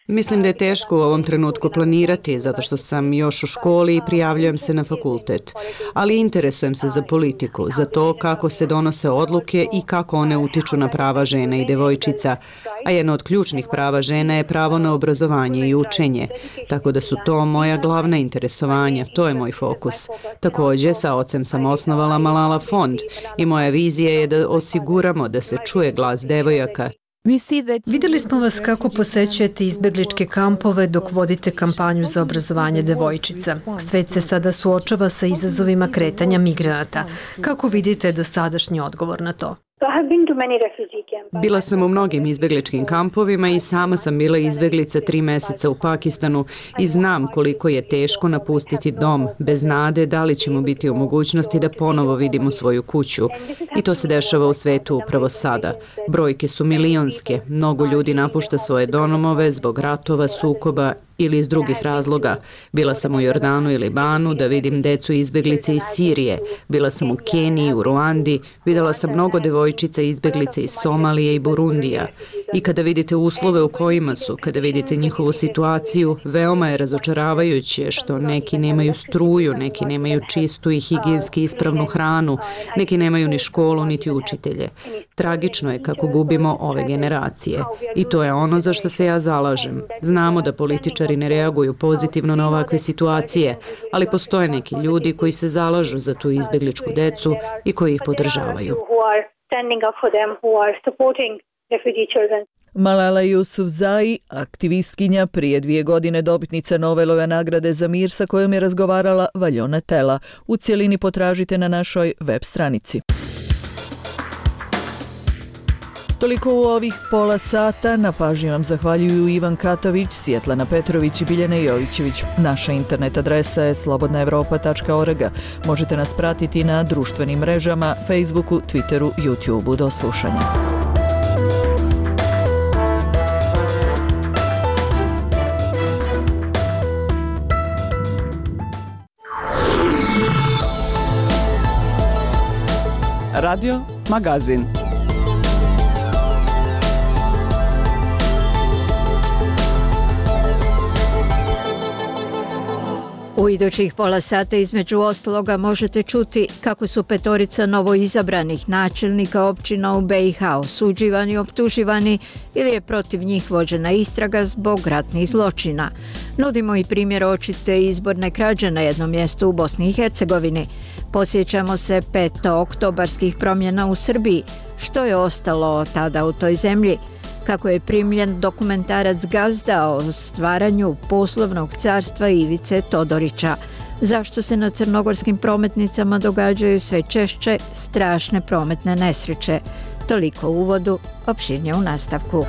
Mislim da je teško u ovom trenutku planirati zato što sam još u školi i prijavljujem se na fakultet, ali interesujem se za politiku, za to kako se donose odluke i kako one utiču na prava žena i djevojčica, a jedno od ključnih prava žena je pravo na obrazovanje i učenje, tako da su to moja glavna interesovanja, to je moj fokus. Također, sa ocem sam osnovala Malala fond i moja vizija je da osiguramo da se čuje glas devojaka. Vidjeli smo vas kako posećujete izbjegličke kampove dok vodite kampanju za obrazovanje devojčica. Svet se sada suočava sa izazovima kretanja migranata. Kako vidite dosadašnji odgovor na to? Bila sam u mnogim izbjegličkim kampovima i sama sam bila izbjeglica 3 mjeseca u Pakistanu i znam koliko je teško napustiti dom bez nade da li ćemo biti u mogućnosti da ponovo vidimo svoju kuću. I to se dešava u svetu upravo sada. Brojke su milionske, mnogo ljudi napušta svoje domove zbog ratova, sukoba ili iz drugih razloga. Bila sam u Jordanu i Libanu da vidim decu izbjeglice iz Sirije. Bila sam u Keniji, u Ruandi, vidjela sam mnogo devojčica izbjeglice iz Somalije i Burundija. I kada vidite uslove u kojima su, kada vidite njihovu situaciju, veoma je razočaravajuće što neki nemaju struju, neki nemaju čistu i higijenski ispravnu hranu, neki nemaju ni školu niti učitelje. Tragično je kako gubimo ove generacije. I to je ono za što se ja zalažem. Znamo da političari ne reaguju pozitivno na ovakve situacije, ali postoje neki ljudi koji se zalažu za tu izbjegličku decu i koji ih podržavaju. Malala Yousafzai, aktivistkinja, prije 2 godine dobitnica Nobelove nagrade za mir sa kojom je razgovarala Valjona Tela. U cjelini potražite na našoj web stranici. Toliko u ovih pola sata. Na pažnji vam zahvaljuju Ivan Katavić, Svjetlana Petrović i Biljana Jovićević. Naša internet adresa je slobodnaevropa.org. Možete nas pratiti na društvenim mrežama, Facebooku, Twitteru, YouTubeu. Do slušanja. Radio Magazin. U idućih pola sata između ostaloga možete čuti kako su 5 novoizabranih načelnika općina u BiH osuđivani, optuživani ili je protiv njih vođena istraga zbog ratnih zločina. Nudimo i primjer očite izborne krađe na jednom mjestu u Bosni i Hercegovini. Posjećamo se 5. oktobarskih promjena u Srbiji, što je ostalo tada u toj zemlji, kako je primljen dokumentarac Gazda o stvaranju poslovnog carstva Ivice Todorića, zašto se na crnogorskim prometnicama događaju sve češće strašne prometne nesreće. Toliko u uvodu, opširnije u nastavku.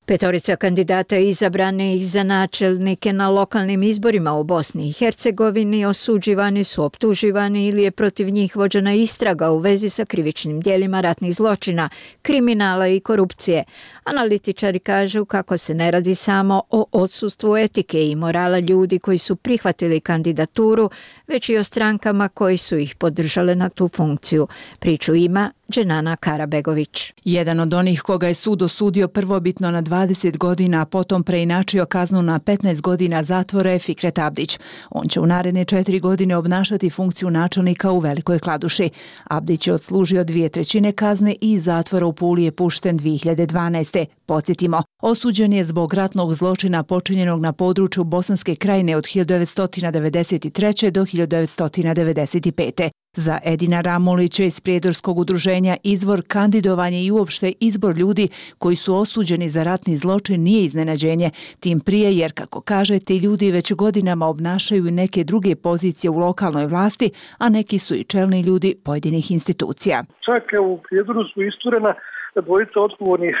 5 kandidata izabranih za načelnike na lokalnim izborima u Bosni i Hercegovini osuđivani su, optuživani ili je protiv njih vođena istraga u vezi sa krivičnim djelima ratnih zločina, kriminala i korupcije. Analitičari kažu kako se ne radi samo o odsustvu etike i morala ljudi koji su prihvatili kandidaturu, već i o strankama koji su ih podržale na tu funkciju. Priču ima Dženana Karabegović. Jedan od onih koga je sud osudio prvobitno na 20 godina, a potom preinačio kaznu na 15 godina zatvora je Fikret Abdić. On će u naredne 4 godine obnašati funkciju načelnika u Velikoj Kladuši. Abdić je odslužio 2/3 kazne i iz zatvora u Puli je pušten 2012. Podsjetimo, osuđen je zbog ratnog zločina počinjenog na području Bosanske Krajine od 1993. do 1995. Za Edina Ramulića iz Prijedorskog udruženja Izvor, kandidovanje i uopšte izbor ljudi koji su osuđeni za ratni zločin nije iznenađenje, tim prije jer, kako kaže, ti ljudi već godinama obnašaju neke druge pozicije u lokalnoj vlasti, a neki su i čelni ljudi pojedinih institucija. Čak u Prijedoru su isturena 2 odgovornih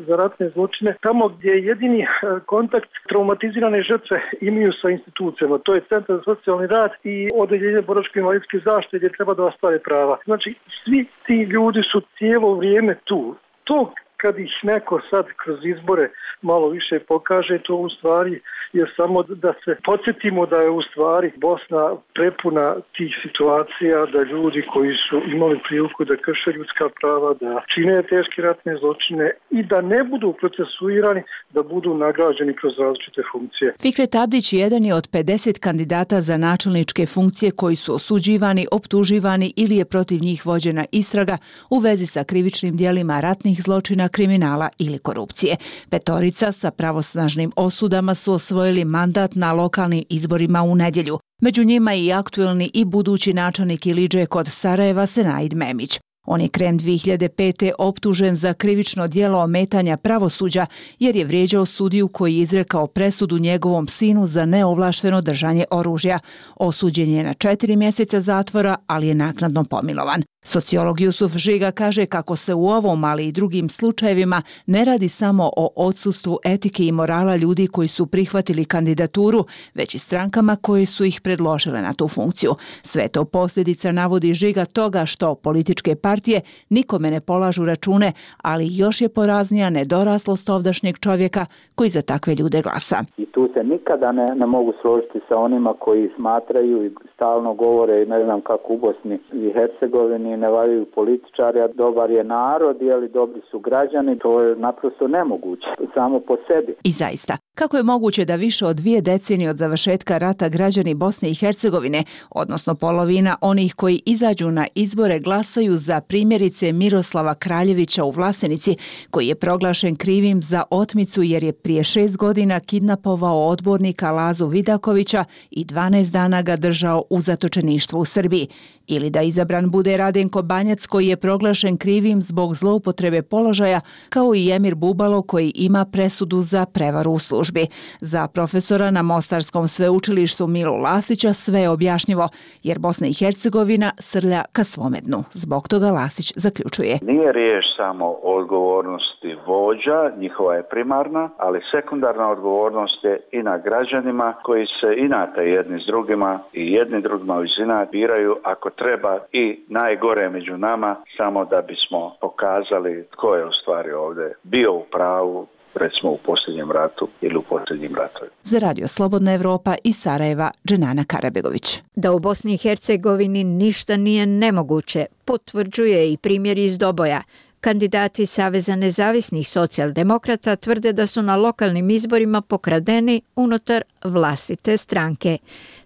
za ratne zločine, tamo gdje je jedini kontakt traumatizirane žrtve imaju sa institucijama. To je Centar za socijalni rad i Odeljenje boračko-invalidske zaštite gdje treba da ostvare prava. Znači, svi ti ljudi su cijelo vrijeme tu. To kad ih neko sad kroz izbore malo više pokaže, to u stvari je samo da se podsjetimo da je u stvari Bosna prepuna tih situacija, da ljudi koji su imali priliku da krše ljudska prava, da čine teške ratne zločine i da ne budu procesuirani, da budu nagrađeni kroz različite funkcije. Fikret Abdić jedan je od 50 kandidata za načelničke funkcije koji su osuđivani, optuživani ili je protiv njih vođena istraga u vezi sa krivičnim djelima ratnih zločina, kriminala ili korupcije. 5 sa pravosnažnim osudama su osvojili mandat na lokalnim izborima u nedjelju. Među njima i aktuelni i budući načelnik Ilidže kod Sarajeva Senaid Memić. On je krajem 2005. optužen za krivično djelo ometanja pravosuđa jer je vrijeđao sudiju koji je izrekao presudu njegovom sinu za neovlašteno držanje oružja. Osuđen je na 4 mjeseca zatvora, ali je naknadno pomilovan. Sociolog Jusuf Žiga kaže kako se u ovom, ali i drugim slučajevima ne radi samo o odsustvu etike i morala ljudi koji su prihvatili kandidaturu, već i strankama koje su ih predložile na tu funkciju. Sve to posljedica, navodi Žiga, toga što političke partije nikome ne polažu račune, ali još je poraznija nedoraslost ovdašnjeg čovjeka koji za takve ljude glasa. I tu se nikada ne mogu složiti sa onima koji smatraju i stalno govore, ne znam kako u Bosni i Hercegovini, ne valjaju političari, a dobar je narod, jeli dobri su građani, to je naprosto nemoguće, samo po sebi. I zaista, kako je moguće da više od 2 decenije od završetka rata građani Bosne i Hercegovine, odnosno polovina onih koji izađu na izbore, glasaju za primjerice Miroslava Kraljevića u Vlasenici, koji je proglašen krivim za otmicu jer je prije 6 godina kidnapovao odbornika Lazu Vidakovića i 12 dana ga držao u zatočeništvu u Srbiji. Ili da izabran bude Rade Radenko Banjac koji je proglašen krivim zbog zloupotrebe položaja, kao i Emir Bubalo koji ima presudu za prevaru u službi. Za profesora na Mostarskom sveučilištu Milu Lasića sve je objašnjivo, jer Bosna i Hercegovina srlja ka svome dnu. Zbog toga Lasić zaključuje. Nije riječ samo o odgovornosti vođa, njihova je primarna, ali sekundarna odgovornost je i na građanima koji se inate jedni s drugima i jedni drugima iz inata biraju ako treba i najgore među nama, samo da bismo pokazali tko je u stvari ovdje bio u pravu, recimo u posljednjem ratu ili u posljednjim ratovima. Za Radio Slobodna Evropa iz Sarajeva, Dženana Karabegović. Da u Bosni i Hercegovini ništa nije nemoguće, potvrđuje i primjer iz Doboja. Kandidati Saveza nezavisnih socijaldemokrata tvrde da su na lokalnim izborima pokradeni unutar vlastite stranke.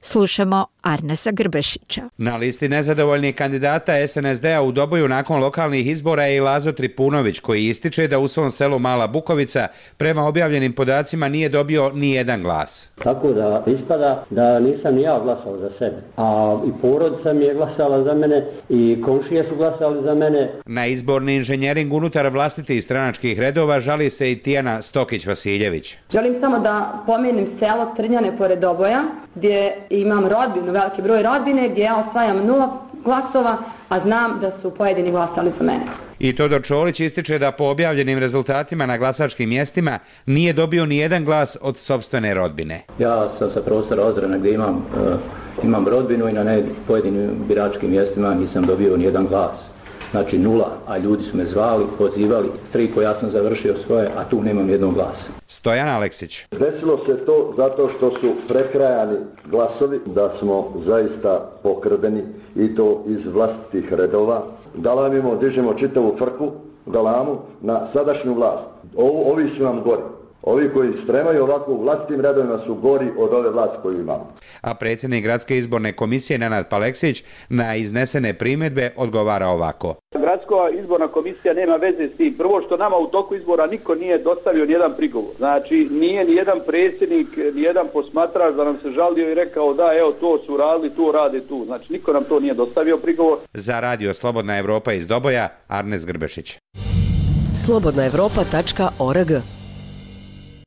Slušamo Arnesa Grbešića. Na listi nezadovoljnih kandidata SNSD-a u Doboju nakon lokalnih izbora je i Lazo Tripunović, koji ističe da u svom selu Mala Bukovica prema objavljenim podacima nije dobio ni jedan glas. Tako da ispada da nisam ni ja glasao za sebe, a i porodica mi je glasala za mene i komšije su glasali za mene. Na izborni inženjering unutar vlastitih stranačkih redova žali se i Tijana Stokić-Vasiljević. Želim samo da pomenem selo Trnjane pored Doboja, gdje imam rodbinu, veliki broj rodbine, gdje ja osvajam 0 glasova, a znam da su pojedini glasali za mene. I Todor Čolić ističe da po objavljenim rezultatima na glasačkim mjestima nije dobio ni jedan glas od sopstvene rodbine. Ja sam sa prostora Ozrena gdje imam rodbinu i na pojedinim biračkim mjestima nisam dobio ni jedan glas. Znači 0, a ljudi su me zvali, pozivali, stripo ja sam završio svoje, a tu nemam jednog glasa. Stojan Aleksić. Desilo se to zato što su prekrajani glasovi, da smo zaista pokradeni i to iz vlastitih redova. Dalamimo, dižemo čitavu frku, galamu na sadašnju vlast. Ovi su nam gori. Ovi koji stremaju ovako u vlastitim redovima su gori od ove vlasti koju imamo. A predsjednik Gradske izborne komisije Nenad Paleksić na iznesene primjedbe odgovara ovako. Gradska izborna komisija nema veze s tim. Prvo što nama u toku izbora niko nije dostavio nijedan prigovor. Znači nije nijedan predsjednik, nijedan posmatrač da nam se žalio i rekao da evo to su radili, to rade tu. Znači niko nam to nije dostavio prigovor. Za Radio Slobodna Evropa iz Doboja, Arnes Grbešić. slobodnaevropa.org.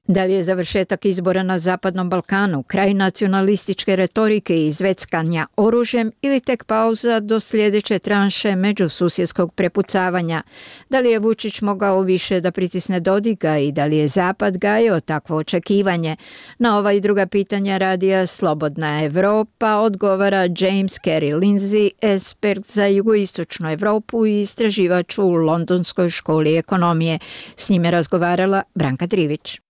Da li je završetak izbora na Zapadnom Balkanu kraj nacionalističke retorike i izveckanja oružjem ili tek pauza do sljedeće tranše međususjedskog prepucavanja? Da li je Vučić mogao više da pritisne Dodika i da li je Zapad gajio takvo očekivanje? Na ova i druga pitanja Radija Slobodna Evropa odgovara James Carey Lindsay, ekspert za jugoistočnu Evropu i istraživač u Londonskoj školi ekonomije. S njime razgovarala Branka Trivić.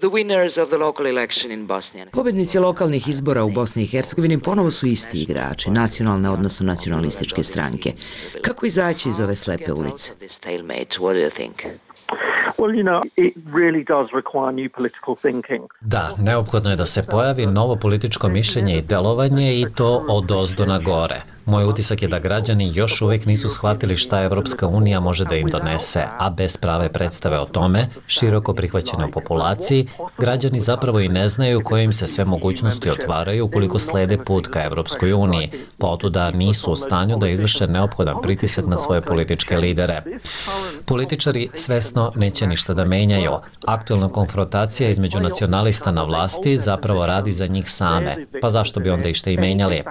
Pobjednici lokalnih izbora u Bosni i Hercegovini ponovo su isti igrači, nacionalne odnosno nacionalističke stranke. Kako izaći iz ove slepe ulice? Da, neophodno je da se pojavi novo političko mišljenje i delovanje i to od ozdo na gore. Moj utisak je da građani još uvijek nisu shvatili šta Evropska unija može da im donese, a bez prave predstave o tome, široko prihvaćene u populaciji, građani zapravo i ne znaju koje im se sve mogućnosti otvaraju ukoliko slede put ka Evropskoj uniji, pa otuda nisu u stanju da izvrše neophodan pritisak na svoje političke lidere. Političari svesno neće ništa da menjaju. Aktualna konfrontacija između nacionalista na vlasti zapravo radi za njih same, pa zašto bi onda išta i menjali?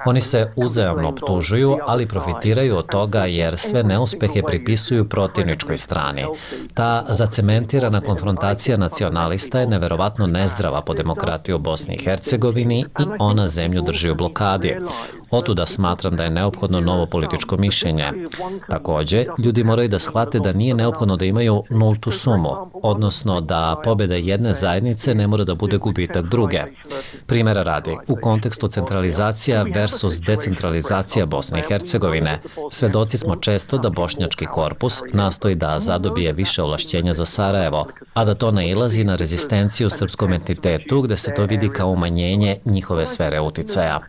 Oni se uzajamno optužuju, ali profitiraju od toga jer sve neuspehe pripisuju protivničkoj strani. Ta zacementirana konfrontacija nacionalista je neverovatno nezdrava po demokratiju u Bosni i Hercegovini i ona zemlju drži u blokadi. Otuda smatram da je neophodno novo političko mišljenje. Također, ljudi moraju da shvate da nije neophodno da imaju nultu sumu, odnosno da pobjeda jedne zajednice ne mora da bude gubitak druge. Primjera radi, u kontekstu centralizacija versus decentralizacija Bosne i Hercegovine, svedoci smo često da bošnjački korpus nastoji da zadobije više ovlašćenja za Sarajevo, a da to nailazi na rezistenciju srpskom entitetu gde se to vidi kao umanjenje njihove sfere uticaja.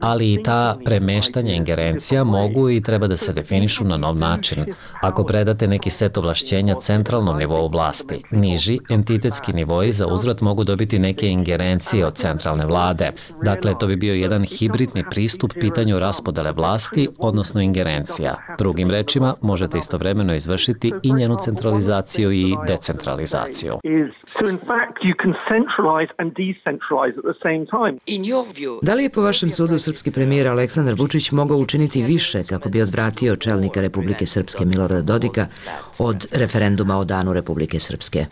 Ali i ta premeštanja ingerencija mogu i treba da se definišu na nov način. Ako predate neki set ovlašćenja centralnom nivou vlasti, niži entitetski nivoji za uzvrat mogu dobiti neke ingerencije od centralne vlade. Dakle, to bi bio jedan hibridni pristup pitanju raspodela raspodele vlasti, odnosno ingerencija. Drugim rečima, možete istovremeno izvršiti i njenu centralizaciju i decentralizaciju. Da li je po vašem sudu srpski premijer Aleksandar Vučić mogao učiniti više kako bi odvratio čelnika Republike Srpske Milorada Dodika od referenduma o danu Republike Srpske?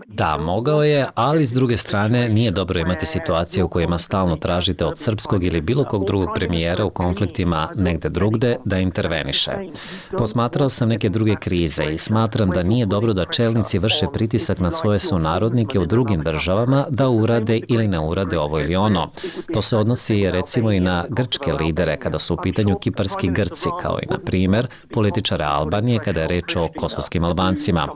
Da, mogao je, ali s druge strane nije dobro imati situacije u kojima stalno tražite od srpskog ili bilo kog drugog premijera u konfliktima negde drugde da interveniše. Posmatrao sam neke druge krize i smatram da nije dobro da čelnici vrše pritisak na svoje sunarodnike u drugim državama da urade ili ne urade ovo ili ono. To se odnosi recimo i na grčke lidere kada su u pitanju kiparski Grci, kao i na primjer političare Albanije kada je reč o kosovskim Albancima.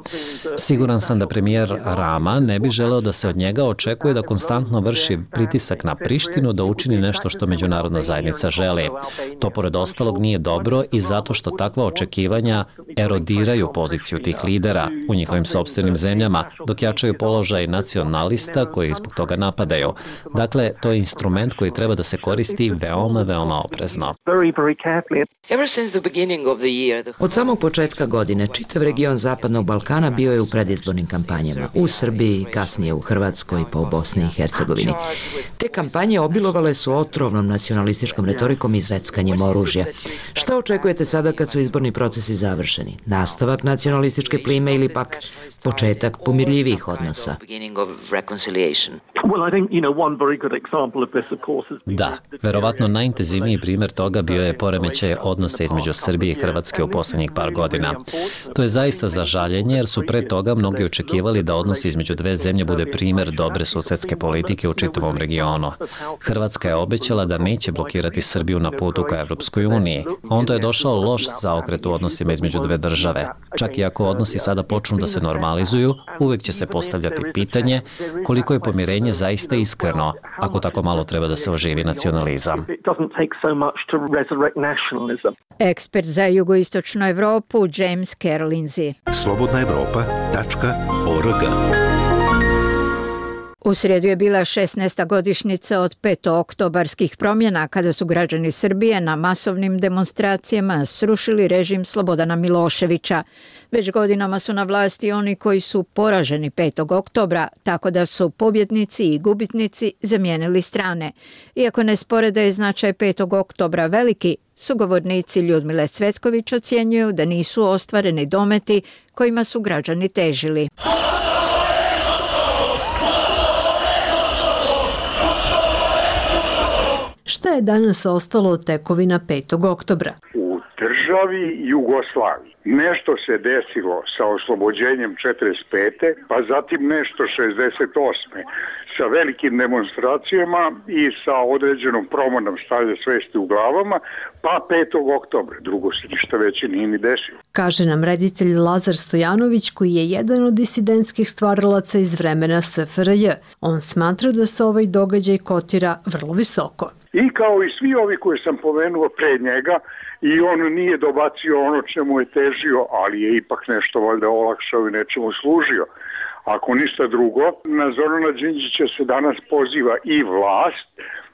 Siguran sam da premijer Rama ne bi želeo da se od njega očekuje da konstantno vrši pritisak na Prištinu da učini nešto što međunarodna zajednica želi. To pored ostalog nije dobro i zato što takva očekivanja erodiraju poziciju tih lidera u njihovim sopstvenim zemljama, dok jačaju položaj nacionalista koji zbog toga napadaju. Dakle, to je instrument koji treba da se koristi veoma, veoma oprezno. Od samog početka godine čitav region Zapadnog Balkana bio je u predizbornim kampanjama. U Srbiji, kasnije u Hrvatskoj, pa u Bosni i Hercegovini. Te kampanje obilovale su otrovnom nacionalističkom retorikom i zveckanjem oružja. Šta očekujete sada kad su izborni procesi završeni? Nastavak nacionalističke plime ili pak početak pomirljivih odnosa? Da, verovatno najintenzivniji primjer toga bio je poremećaj odnosa između Srbije i Hrvatske u posljednjih par godina. To je zaista za žaljenje jer su pre toga mnogi očekivali da odnos između dve zemlje bude primjer dobre susedske politike u čitavom regionu. Hrvatska je obećala da neće blokirati Srbiju na putu ka Evropskoj uniji. Onda je došao loš zaokret u odnosima između dve države. Čak i ako odnosi sada počnu da se normalizuju, uvek će se postavljati pitanje koliko je pomirenje zaista iskreno, ako tako malo treba da se oživi nacionalizam. Ekspert za jugoistočnu Evropu James Kerlinzi. slobodnaevropa.org. U srijedu je bila 16. godišnjica od petooktobarskih promjena kada su građani Srbije na masovnim demonstracijama srušili režim Slobodana Miloševića. Već godinama su na vlasti oni koji su poraženi 5. oktobra, tako da su pobjednici i gubitnici zamijenili strane. Iako ne spore da je značaj 5. oktobra veliki, sugovornici Ljudmile Cvetković ocjenjuju da nisu ostvareni dometi kojima su građani težili. Šta je danas ostalo od tekovina 5. oktobra? U državi Jugoslaviji nešto se desilo sa oslobođenjem 45. pa zatim nešto 68. sa velikim demonstracijama i sa određenom promenom stanja svesti u glavama, pa 5. oktobra. Drugo se ništa veće nije ni desilo. Kaže nam reditelj Lazar Stojanović, koji je jedan od disidentskih stvaralaca iz vremena SFRJ. On smatra da se ovaj događaj kotira vrlo visoko. I kao i svi ovi koje sam pomenuo pre njega, i on nije dobacio ono čemu je težio, ali je ipak nešto valjda olakšao i nečemu služio. Ako ništa drugo, na Zorana Đinđića se danas poziva i vlast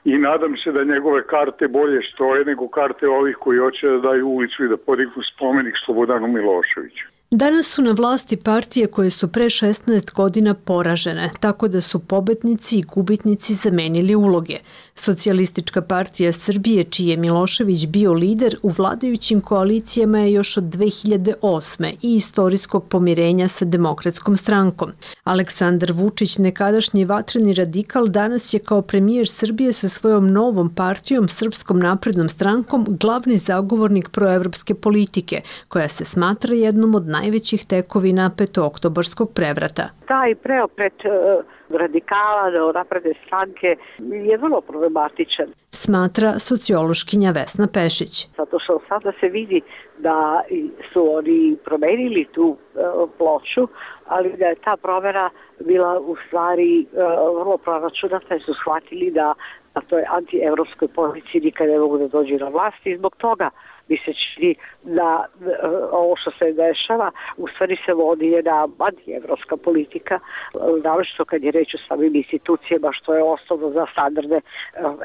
i nadam se da njegove karte bolje stoje nego karte ovih koji hoće da daju ulicu i da podignu spomenik Slobodanu Miloševiću. Danas su na vlasti partije koje su pre 16 godina poražene, tako da su pobednici i gubitnici zamenili uloge. Socijalistička partija Srbije, čiji je Milošević bio lider, u vladajućim koalicijama je još od 2008. i istorijskog pomirenja sa Demokratskom strankom. Aleksandar Vučić, nekadašnji vatreni radikal, danas je kao premijer Srbije sa svojom novom partijom, Srpskom naprednom strankom, glavni zagovornik proevropske politike, koja se smatra jednom od najvećih tekovina petooktobarskog prevrata. Taj preokret radikala do napredne stranke je vrlo problematičan. Smatra sociološkinja Vesna Pešić. Zato što sada se vidi da su oni promenili tu ploču, ali da je ta promjena bila u stvari vrlo proračunata i su shvatili da to je anti-evropskoj poziciji nikad ne mogu da dođu na vlast i zbog toga mi se čini da ovo što se dešava u stvari se vodi jedna anti-evropska politika, naročito kad je reč o samim institucijama, što je osnovno za standarde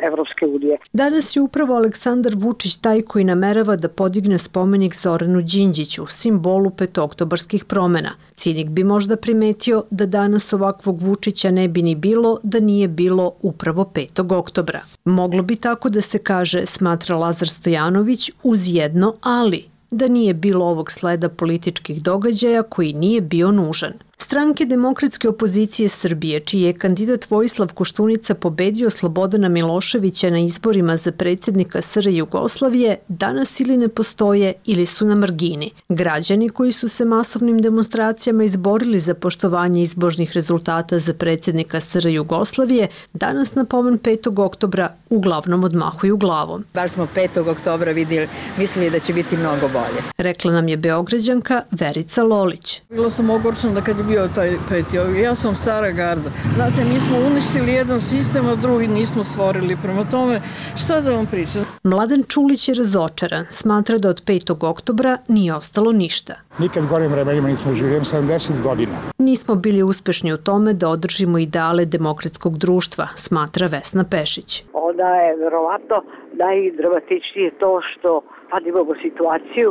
Evropske unije. Danas je upravo Aleksandar Vučić taj koji namerava da podigne spomenik Zoranu Đinđiću, simbolu petooktobarskih promena. Cinik bi možda primetio da danas ovakvog Vučića ne bi ni bilo da nije bilo upravo 5. oktobra. Moglo bi tako da se kaže, smatra Lazar Stojanović, uz jedno ali, da nije bilo ovog sleda političkih događaja koji nije bio nužan. Stranke demokratske opozicije Srbije, čiji je kandidat Vojislav Koštunica pobedio Slobodana Miloševića na izborima za predsjednika SR Jugoslavije, danas ili ne postoje ili su na margini. Građani koji su se masovnim demonstracijama izborili za poštovanje izbornih rezultata za predsjednika SR Jugoslavije, danas na pomen 5. oktobra uglavnom odmahuju glavom. Bar smo 5. oktobra mislili da će biti mnogo bolje. Rekla nam je Beograđanka Verica Lolić. Bila sam ogorčena da kad je bio taj 5. Ja sam stara garda. Znate, mi smo uništili jedan sistem, a drugi nismo stvorili. Prema tome, šta da vam pričam? Mladen Čulić je razočaran. Smatra da od 5. oktobra nije ostalo ništa. Nikad gorim vremenima nismo živjeli, 70 godina. Nismo bili uspešni u tome da održimo ideale demokratskog društva, smatra Vesna Pešić. Onda je verovatno najdramatičnije to što sad imamo situaciju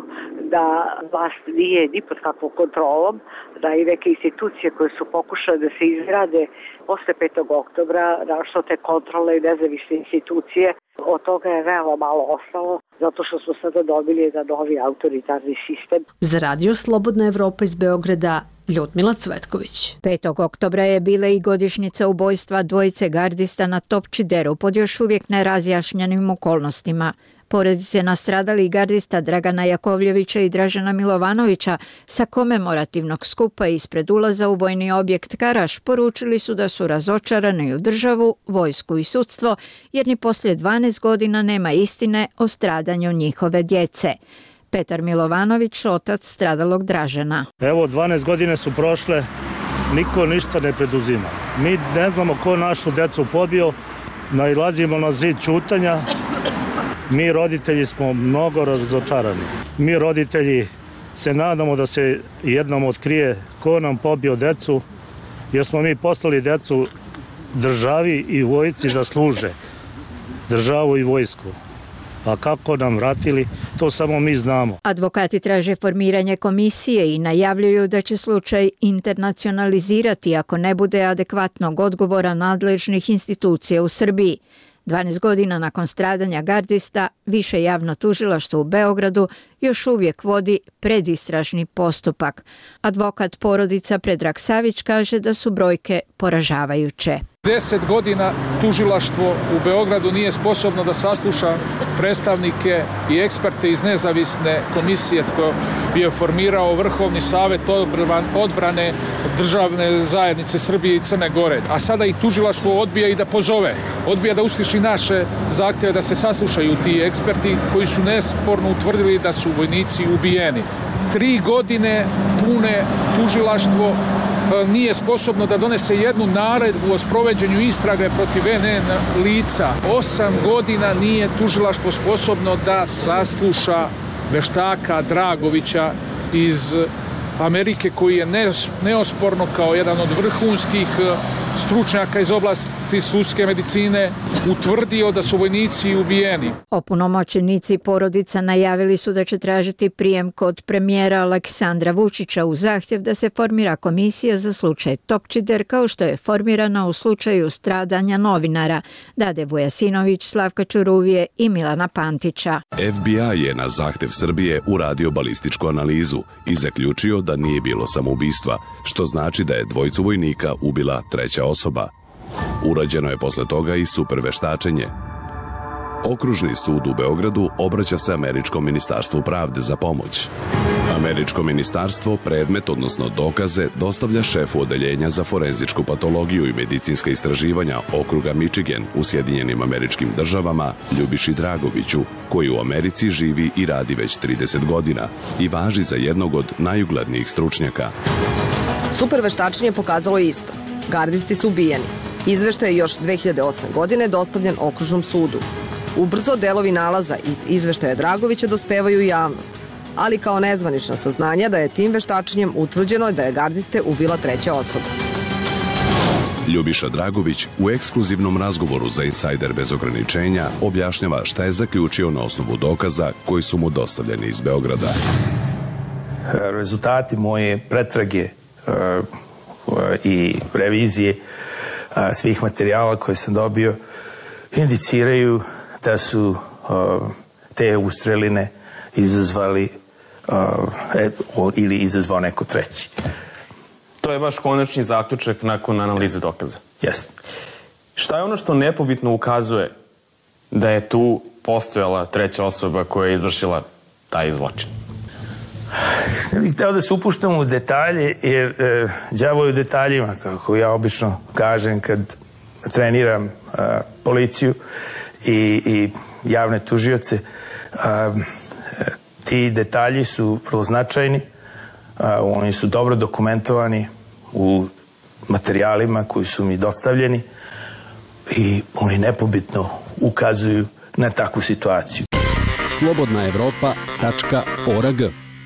da vlast nije ni pod kakvom kontrolom, da i neke institucije koje su pokušale da se izgrade posle 5. oktobra, našto te kontrole i nezavisne institucije, od toga je veoma malo ostalo, zato što smo sada dobili jedan novi autoritarni sistem. Za Radio Slobodna Evropa iz Beograda, Ljudmila Cvetković. 5. oktobra je bila i godišnjica ubojstva dvojice gardista na Topčideru pod još uvijek nerazjašnjenim okolnostima. Porodice nastradalih gardista Dragana Jakovljevića i Dražena Milovanovića sa komemorativnog skupa ispred ulaza u vojni objekt Karaš poručili su da su razočarani u državu, vojsku i sudstvo, jer ni poslije 12 godina nema istine o stradanju njihove djece. Petar Milovanović, otac stradalog Dražena. Evo, 12 godine su prošle, niko ništa ne preduzima. Mi ne znamo ko našu djecu pobio, nailazimo na zid ćutanja. Mi roditelji smo mnogo razočarani. Mi roditelji se nadamo da se jednom otkrije ko nam pobio decu, jer smo mi poslali decu državi i vojsci da služe državu i vojsku. A kako nam vratili, to samo mi znamo. Advokati traže formiranje komisije i najavljuju da će slučaj internacionalizirati ako ne bude adekvatnog odgovora nadležnih institucija u Srbiji. 12 godina nakon stradanja gardista, Više javno tužilaštvo u Beogradu još uvijek vodi predistražni postupak. Advokat porodica Predrag Savić kaže da su brojke poražavajuće. 10 godina tužilaštvo u Beogradu nije sposobno da sasluša predstavnike i eksperte iz nezavisne komisije koju je formirao Vrhovni savet odbrane državne zajednice Srbije i Crne Gore. A sada ih tužilaštvo odbija i da pozove, odbija da usliši naše zahtjeve da se saslušaju ti eksperti koji su nesporno utvrdili da su vojnici ubijeni. 3 godine pune tužilaštvo nije sposobno da donese jednu naredbu o sprovođenju istrage protiv NN lica. 8 godina nije tužilaštvo sposobno da sasluša veštaka Dragovića iz Amerike, koji je neosporno kao jedan od vrhunskih stručnjaka iz oblasti sudske medicine utvrdio da su vojnici ubijeni. Opunomoćenici porodica najavili su da će tražiti prijem kod premijera Aleksandra Vučića u zahtjev da se formira komisija za slučaj Topčider, kao što je formirana u slučaju stradanja novinara Dade Vujasinović, Slavka Čuruvije i Milana Pantića. FBI je na zahtjev Srbije uradio balističku analizu i zaključio da nije bilo samoubistva, što znači da je dvojicu vojnika ubila treća osoba. Urađeno je posle toga i superveštačenje. Okružni sud u Beogradu obraća se Američkom ministarstvu pravde za pomoć. Američko ministarstvo predmet, odnosno dokaze, dostavlja šefu odeljenja za forenzičku patologiju i medicinska istraživanja okruga Michigan u Sjedinjenim Američkim Državama Ljubiši Dragoviću, koji u Americi živi i radi već 30 godina i važi za jednog od najuglednijih stručnjaka. Superveštačenje pokazalo isto. Gardisti su ubijeni. Izveštaj je još 2008. godine dostavljen okružnom sudu. Ubrzo delovi nalaza iz izveštaja Dragovića dospevaju u javnost, ali kao nezvanična saznanja da je tim veštačenjem utvrđeno da je gardiste ubila treća osoba. Ljubiša Dragović u ekskluzivnom razgovoru za Insajder bez ograničenja objašnjava šta je zaključio na osnovu dokaza koji su mu dostavljeni iz Beograda. Rezultati moje pretrage i revizije svih materijala koje sam dobio indiciraju da su te ustreline izazvali ili izazvao neko treći. To je vaš konačni zaključak nakon analize dokaza? Jeste. Šta je ono što nepobitno ukazuje da je tu postojala treća osoba koja je izvršila taj zločin? Ne bih hteo da se upuštam u detalje, jer đavo je u detaljima, kako ja obično kažem kad treniram policiju i javne tužioce. Ti detalji su vrlo značajni, oni su dobro dokumentovani u materijalima koji su mi dostavljeni i oni nepobitno ukazuju na takvu situaciju. Slobodnaevropa.org.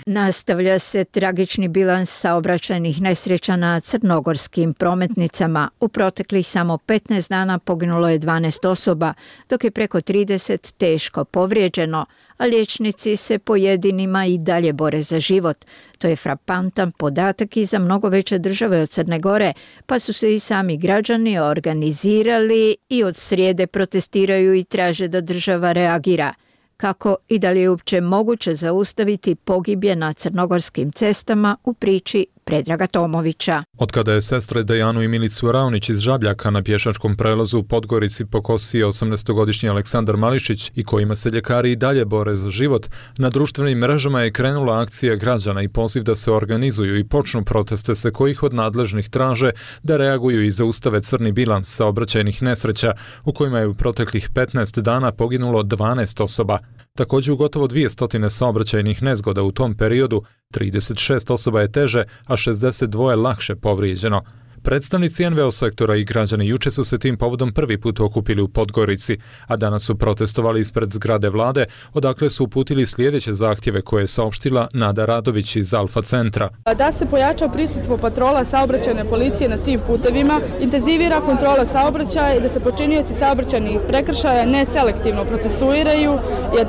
Nastavlja se tragični bilans saobraćajnih nesreća na crnogorskim prometnicama. U proteklih samo 15 dana poginulo je 12 osoba, dok je preko 30 teško povrijeđeno, a liječnici se pojedinima i dalje bore za život. To je frapantan podatak i za mnogo veće države od Crne Gore, pa su se i sami građani organizirali i od srijede protestiraju i traže da država reagira. Kako i da li je uopće moguće zaustaviti pogibje na crnogorskim cestama u priči Predraga Tomovića. Od kada je sestre Dejanu i Milicu Raunić iz Žabljaka na pješačkom prelazu u Podgorici pokosio 18-godišnji Aleksandar Mališić i kojima se ljekari i dalje bore za život, na društvenim mrežama je krenula akcija građana i poziv da se organizuju i počnu proteste se kojih od nadležnih traže da reaguju i zaustave crni bilans saobraćajnih nesreća u kojima je u proteklih 15 dana poginulo 12 osoba. Također u gotovo 200 saobraćajnih nezgoda u tom periodu, 36 osoba je teže, a 62 lakše povrijeđeno. Predstavnici NVO sektora i građani juče su se tim povodom prvi put okupili u Podgorici, a danas su protestovali ispred zgrade vlade, odakle su uputili sljedeće zahtjeve koje je saopštila Nada Radović iz Alfa centra. Da se pojača prisustvo patrola saobraćajne policije na svim putevima, intenzivira kontrola saobraćaja i da se počinioci saobraćajnih prekršaja neselektivno procesuiraju i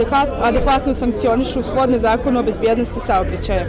adekvatno sankcionišu shodno zakonu o bezbjednosti saobraćaja.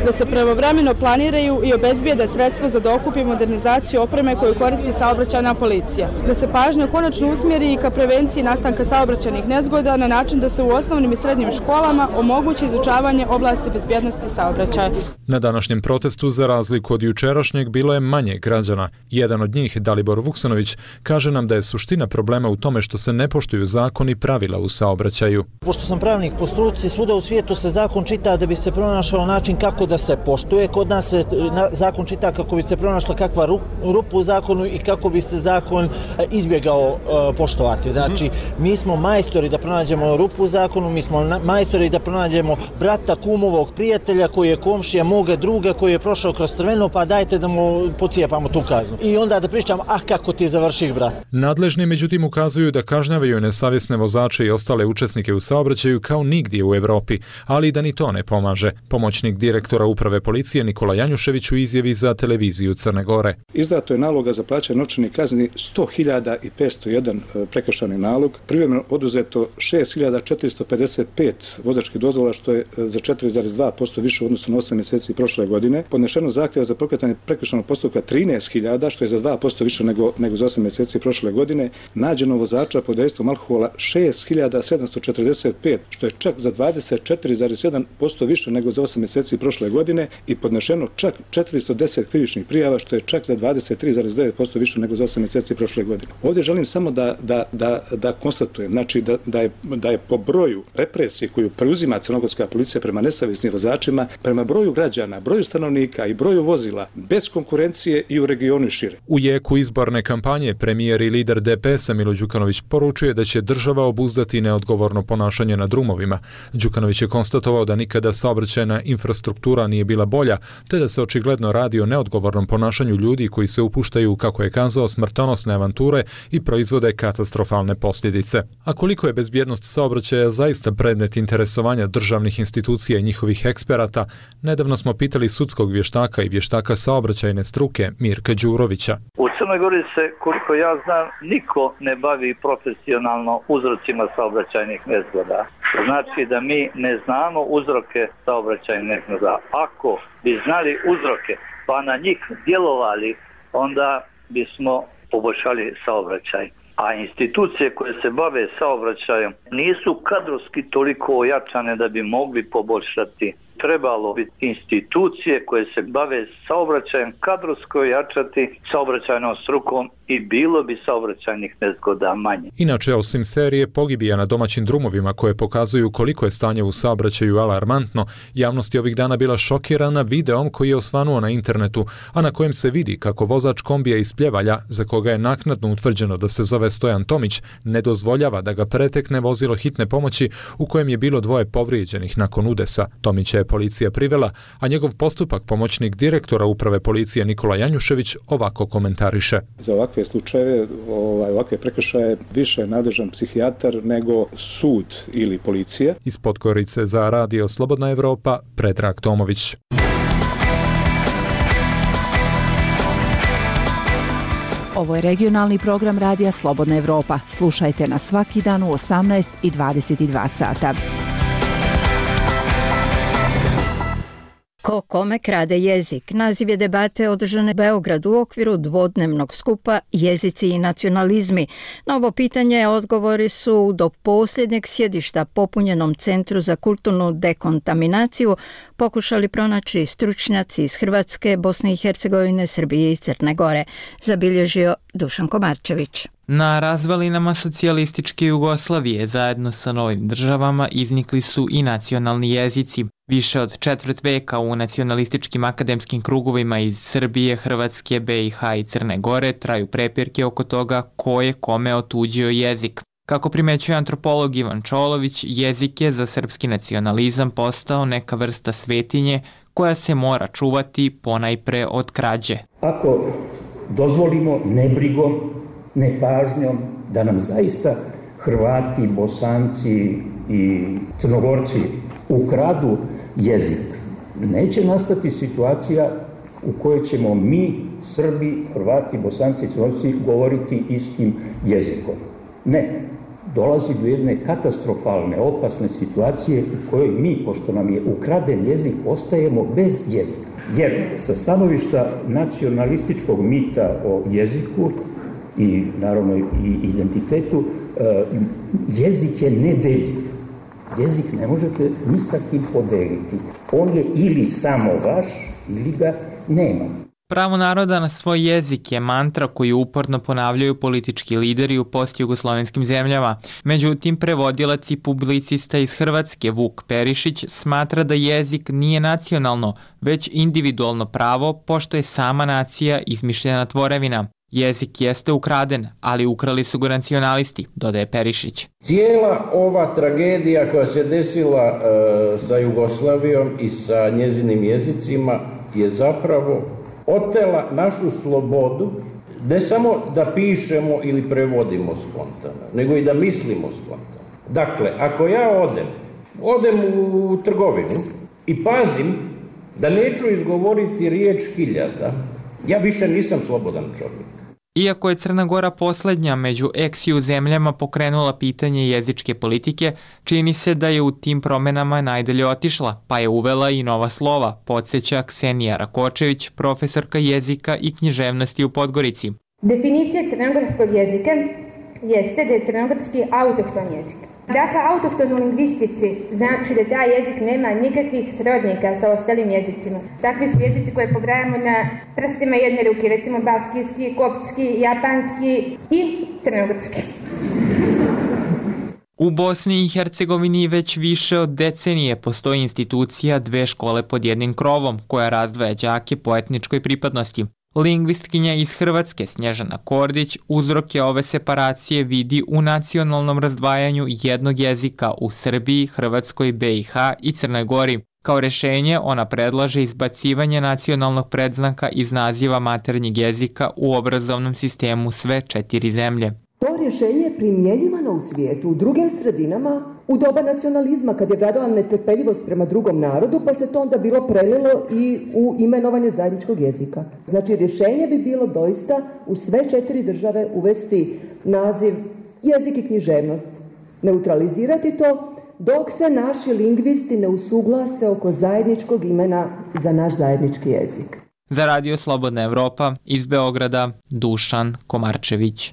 Da se pravovremeno planiraju i obezbijede sredstva za dokup i modernizaciju opreme koju koristi saobraćajna policija. Da se pažnja konačno usmjeri i ka prevenciji nastanka saobraćajnih nezgoda na način da se u osnovnim i srednjim školama omogući izučavanje oblasti bezbjednosti saobraćaja. Na današnjem protestu, za razliku od jučerašnjeg, bilo je manje građana. Jedan od njih, Dalibor Vuksanović, kaže nam da je suština problema u tome što se ne poštuju zakoni i pravila u saobraćaju. Pošto sam pravnik po struci, svuda u svijetu se zakon čita da bi se pronašao način kako da se poštuje. Kod nas se zakon čita kako bi se pronašla kakva rupa u zakonu i kako bi se zakon izbjegao poštovati. Znači, mi smo majstori da pronađemo rupu u zakonu, mi smo majstori da pronađemo brata, kumovog, prijatelja koji je komšija moga druga koji je prošao kroz crveno, pa dajte da mu pocijepamo tu kaznu. I onda da pričam, kako ti je završih brat. Nadležni međutim ukazuju da kažnjavaju nesavjesne vozače i ostale učesnike u saobraćaju kao nigdje u Evropi, ali da ni to ne pomaže. Pomoćnik direktora uprave policije Nikola Janjušević u izjavi za televiziju Crne Gore. Izdato je naloga za plaćanje novčanih kazni 100.501 prekršajni nalog, privremeno oduzeto 6.455 vozačkih dozvola, što je za 4,2% više u odnosu na 8 mjeseci prošle godine. Podnešeno zahtjeva za pokretanje prekršajnog postupka 13.000, što je za 2% više nego za 8 mjeseci prošle godine. Nađeno vozača pod dejstvom alkohola 6.745, što je čak za 24,7% više nego za 8 mjeseci prošle godine i podnešeno čak 410 krivičnih prijava, što je čak za 23,9% više nego za 8 mjeseci prošle godine. Ovdje želim samo da konstatujem, znači da je po broju represije koju preuzima crnogorska policija prema nesavjesnim vozačima, prema broju građana, broju stanovnika i broju vozila, bez konkurencije i u regionu i šire. U jeku izborne kampanje premijer i lider DPS-a Milo Đukanović poručuje da će država obuzdati neodgovorno ponašanje na drumovima. Đukanović je konstatovao da nikada saobraćajna infrastruktura nije bila bolja, te da se očigledno radi o neodgovornom ponašanju ljudi koji se upuštaju, kako je kazao, smrtonosne avanture i proizvode katastrofalne posljedice. A koliko je bezbjednost saobraćaja zaista predmet interesovanja državnih institucija i njihovih eksperata, nedavno smo pitali sudskog vještaka i vještaka saobraćajne struke Mirka Đurovića. U Crnoj Gori se, koliko ja znam, niko ne bavi profesionalno uzrocima saobraćajnih nezgoda. Znači da mi ne znamo uzroke saobraćajnih nezgoda. Ako bi znali uzroke pa na njih djelovali, onda bismo poboljšali saobraćaj. A institucije koje se bave saobraćajem nisu kadrovski toliko ojačane da bi mogli poboljšati. Trebalo bi institucije koje se bave saobraćajem kadrovsko ojačati saobraćajnom strukom i bilo bi saobraćajnih nezgoda manje. Inače, osim serije pogibija na domaćim drumovima koje pokazuju koliko je stanje u saobraćaju alarmantno, javnost je ovih dana bila šokirana videom koji je osvanuo na internetu, a na kojem se vidi kako vozač kombija iz Pljevalja, za koga je naknadno utvrđeno da se zove Stojan Tomić, ne dozvoljava da ga pretekne vozilo hitne pomoći u kojem je bilo 2 povrijeđenih nakon udesa. Tomića je policija privela, a njegov postupak pomoćnik direktora uprave policije Nikola Janjušević ovako komentariše. Za ovakve slučajeve, ovakve prekršaje više je nadležan psihijatar nego sud ili policija. Iz Podgorice za Radio Slobodna Evropa, Predrag Tomović. Ovo je regionalni program Radija Slobodna Evropa. Slušajte nas svaki dan u 18 i 22 sata. Ko kome krade jezik? Naziv je debate održane u Beogradu u okviru dvodnevnog skupa Jezici i nacionalizmi. Na ovo pitanje odgovori su do posljednjeg sjedišta popunjenom Centru za kulturnu dekontaminaciju pokušali pronaći stručnjaci iz Hrvatske, Bosne i Hercegovine, Srbije i Crne Gore, zabilježio Dušan Komarčević. Na razvalinama socijalističke Jugoslavije zajedno sa novim državama iznikli su i nacionalni jezici. Više od četvrt veka u nacionalističkim akademskim krugovima iz Srbije, Hrvatske, BiH i Crne Gore traju prepirke oko toga ko je kome otuđio jezik. Kako primećuje antropolog Ivan Čolović, jezik je za srpski nacionalizam postao neka vrsta svetinje koja se mora čuvati ponajpre od krađe. Ako dozvolimo nebrigom, nepažnjom da nam zaista Hrvati, Bosanci i Crnogorci ukradu jezik, neće nastati situacija u kojoj ćemo mi, Srbi, Hrvati, Bosanci i Crnogorci govoriti istim jezikom. Ne, dolazi do jedne katastrofalne, opasne situacije u kojoj mi, pošto nam je ukraden jezik, ostajemo bez jezika. Jer sa stanovišta nacionalističkog mita o jeziku i naravno i identitetu, jezik je nedeljiv. Jezik ne možete ni sa kim podeliti. On je ili samo vaš, ili ga nema. Pravo naroda na svoj jezik je mantra koju uporno ponavljaju politički lideri u postjugoslovenskim zemljama. Međutim, prevodilac i publicista iz Hrvatske Vuk Perišić smatra da jezik nije nacionalno, već individualno pravo, pošto je sama nacija izmišljena tvorevina. Jezik jeste ukraden, ali ukrali su ga nacionalisti, dodaje Perišić. Cijela ova tragedija koja se desila sa Jugoslavijom i sa njezinim jezicima je zapravo otela našu slobodu, ne samo da pišemo ili prevodimo spontano, nego i da mislimo spontano. Dakle, ako ja odem u trgovinu i pazim da neću izgovoriti riječ hiljada, ja više nisam slobodan čovjek. Iako je Crna Gora posljednja među ex-ju zemljama pokrenula pitanje jezičke politike, čini se da je u tim promjenama najdalje otišla, pa je uvela i nova slova, podsjeća Ksenija Rakočević, profesorka jezika i književnosti u Podgorici. Definicija crnogorskog jezika jeste da je crnogorski autohton jezik. Dakle, autohton u lingvistici znači da taj jezik nema nikakvih srodnika sa ostalim jezicima. Takvi su jezici koje pobrajamo na prstima jedne ruke, recimo baskijski, koptski, japanski i crnogorski. U Bosni i Hercegovini već više od decenije postoji institucija dve škole pod jednim krovom koja razdvaja đake po etničkoj pripadnosti. Lingvistkinja iz Hrvatske Snježana Kordić uzroke ove separacije vidi u nacionalnom razdvajanju jednog jezika u Srbiji, Hrvatskoj, BiH i Crnoj Gori. Kao rešenje ona predlaže izbacivanje nacionalnog predznaka iz naziva maternjeg jezika u obrazovnom sistemu sve 4 zemlje. To rješenje je primjenjivano u svijetu, u drugim sredinama, u doba nacionalizma kad je vladala netrpeljivost prema drugom narodu, pa se to onda bilo prelilo i u imenovanje zajedničkog jezika. Znači rješenje bi bilo doista u sve 4 države uvesti naziv jezik i književnost, neutralizirati to, dok se naši lingvisti ne usuglase oko zajedničkog imena za naš zajednički jezik. Za Radio Slobodna Evropa iz Beograda, Dušan Komarčević.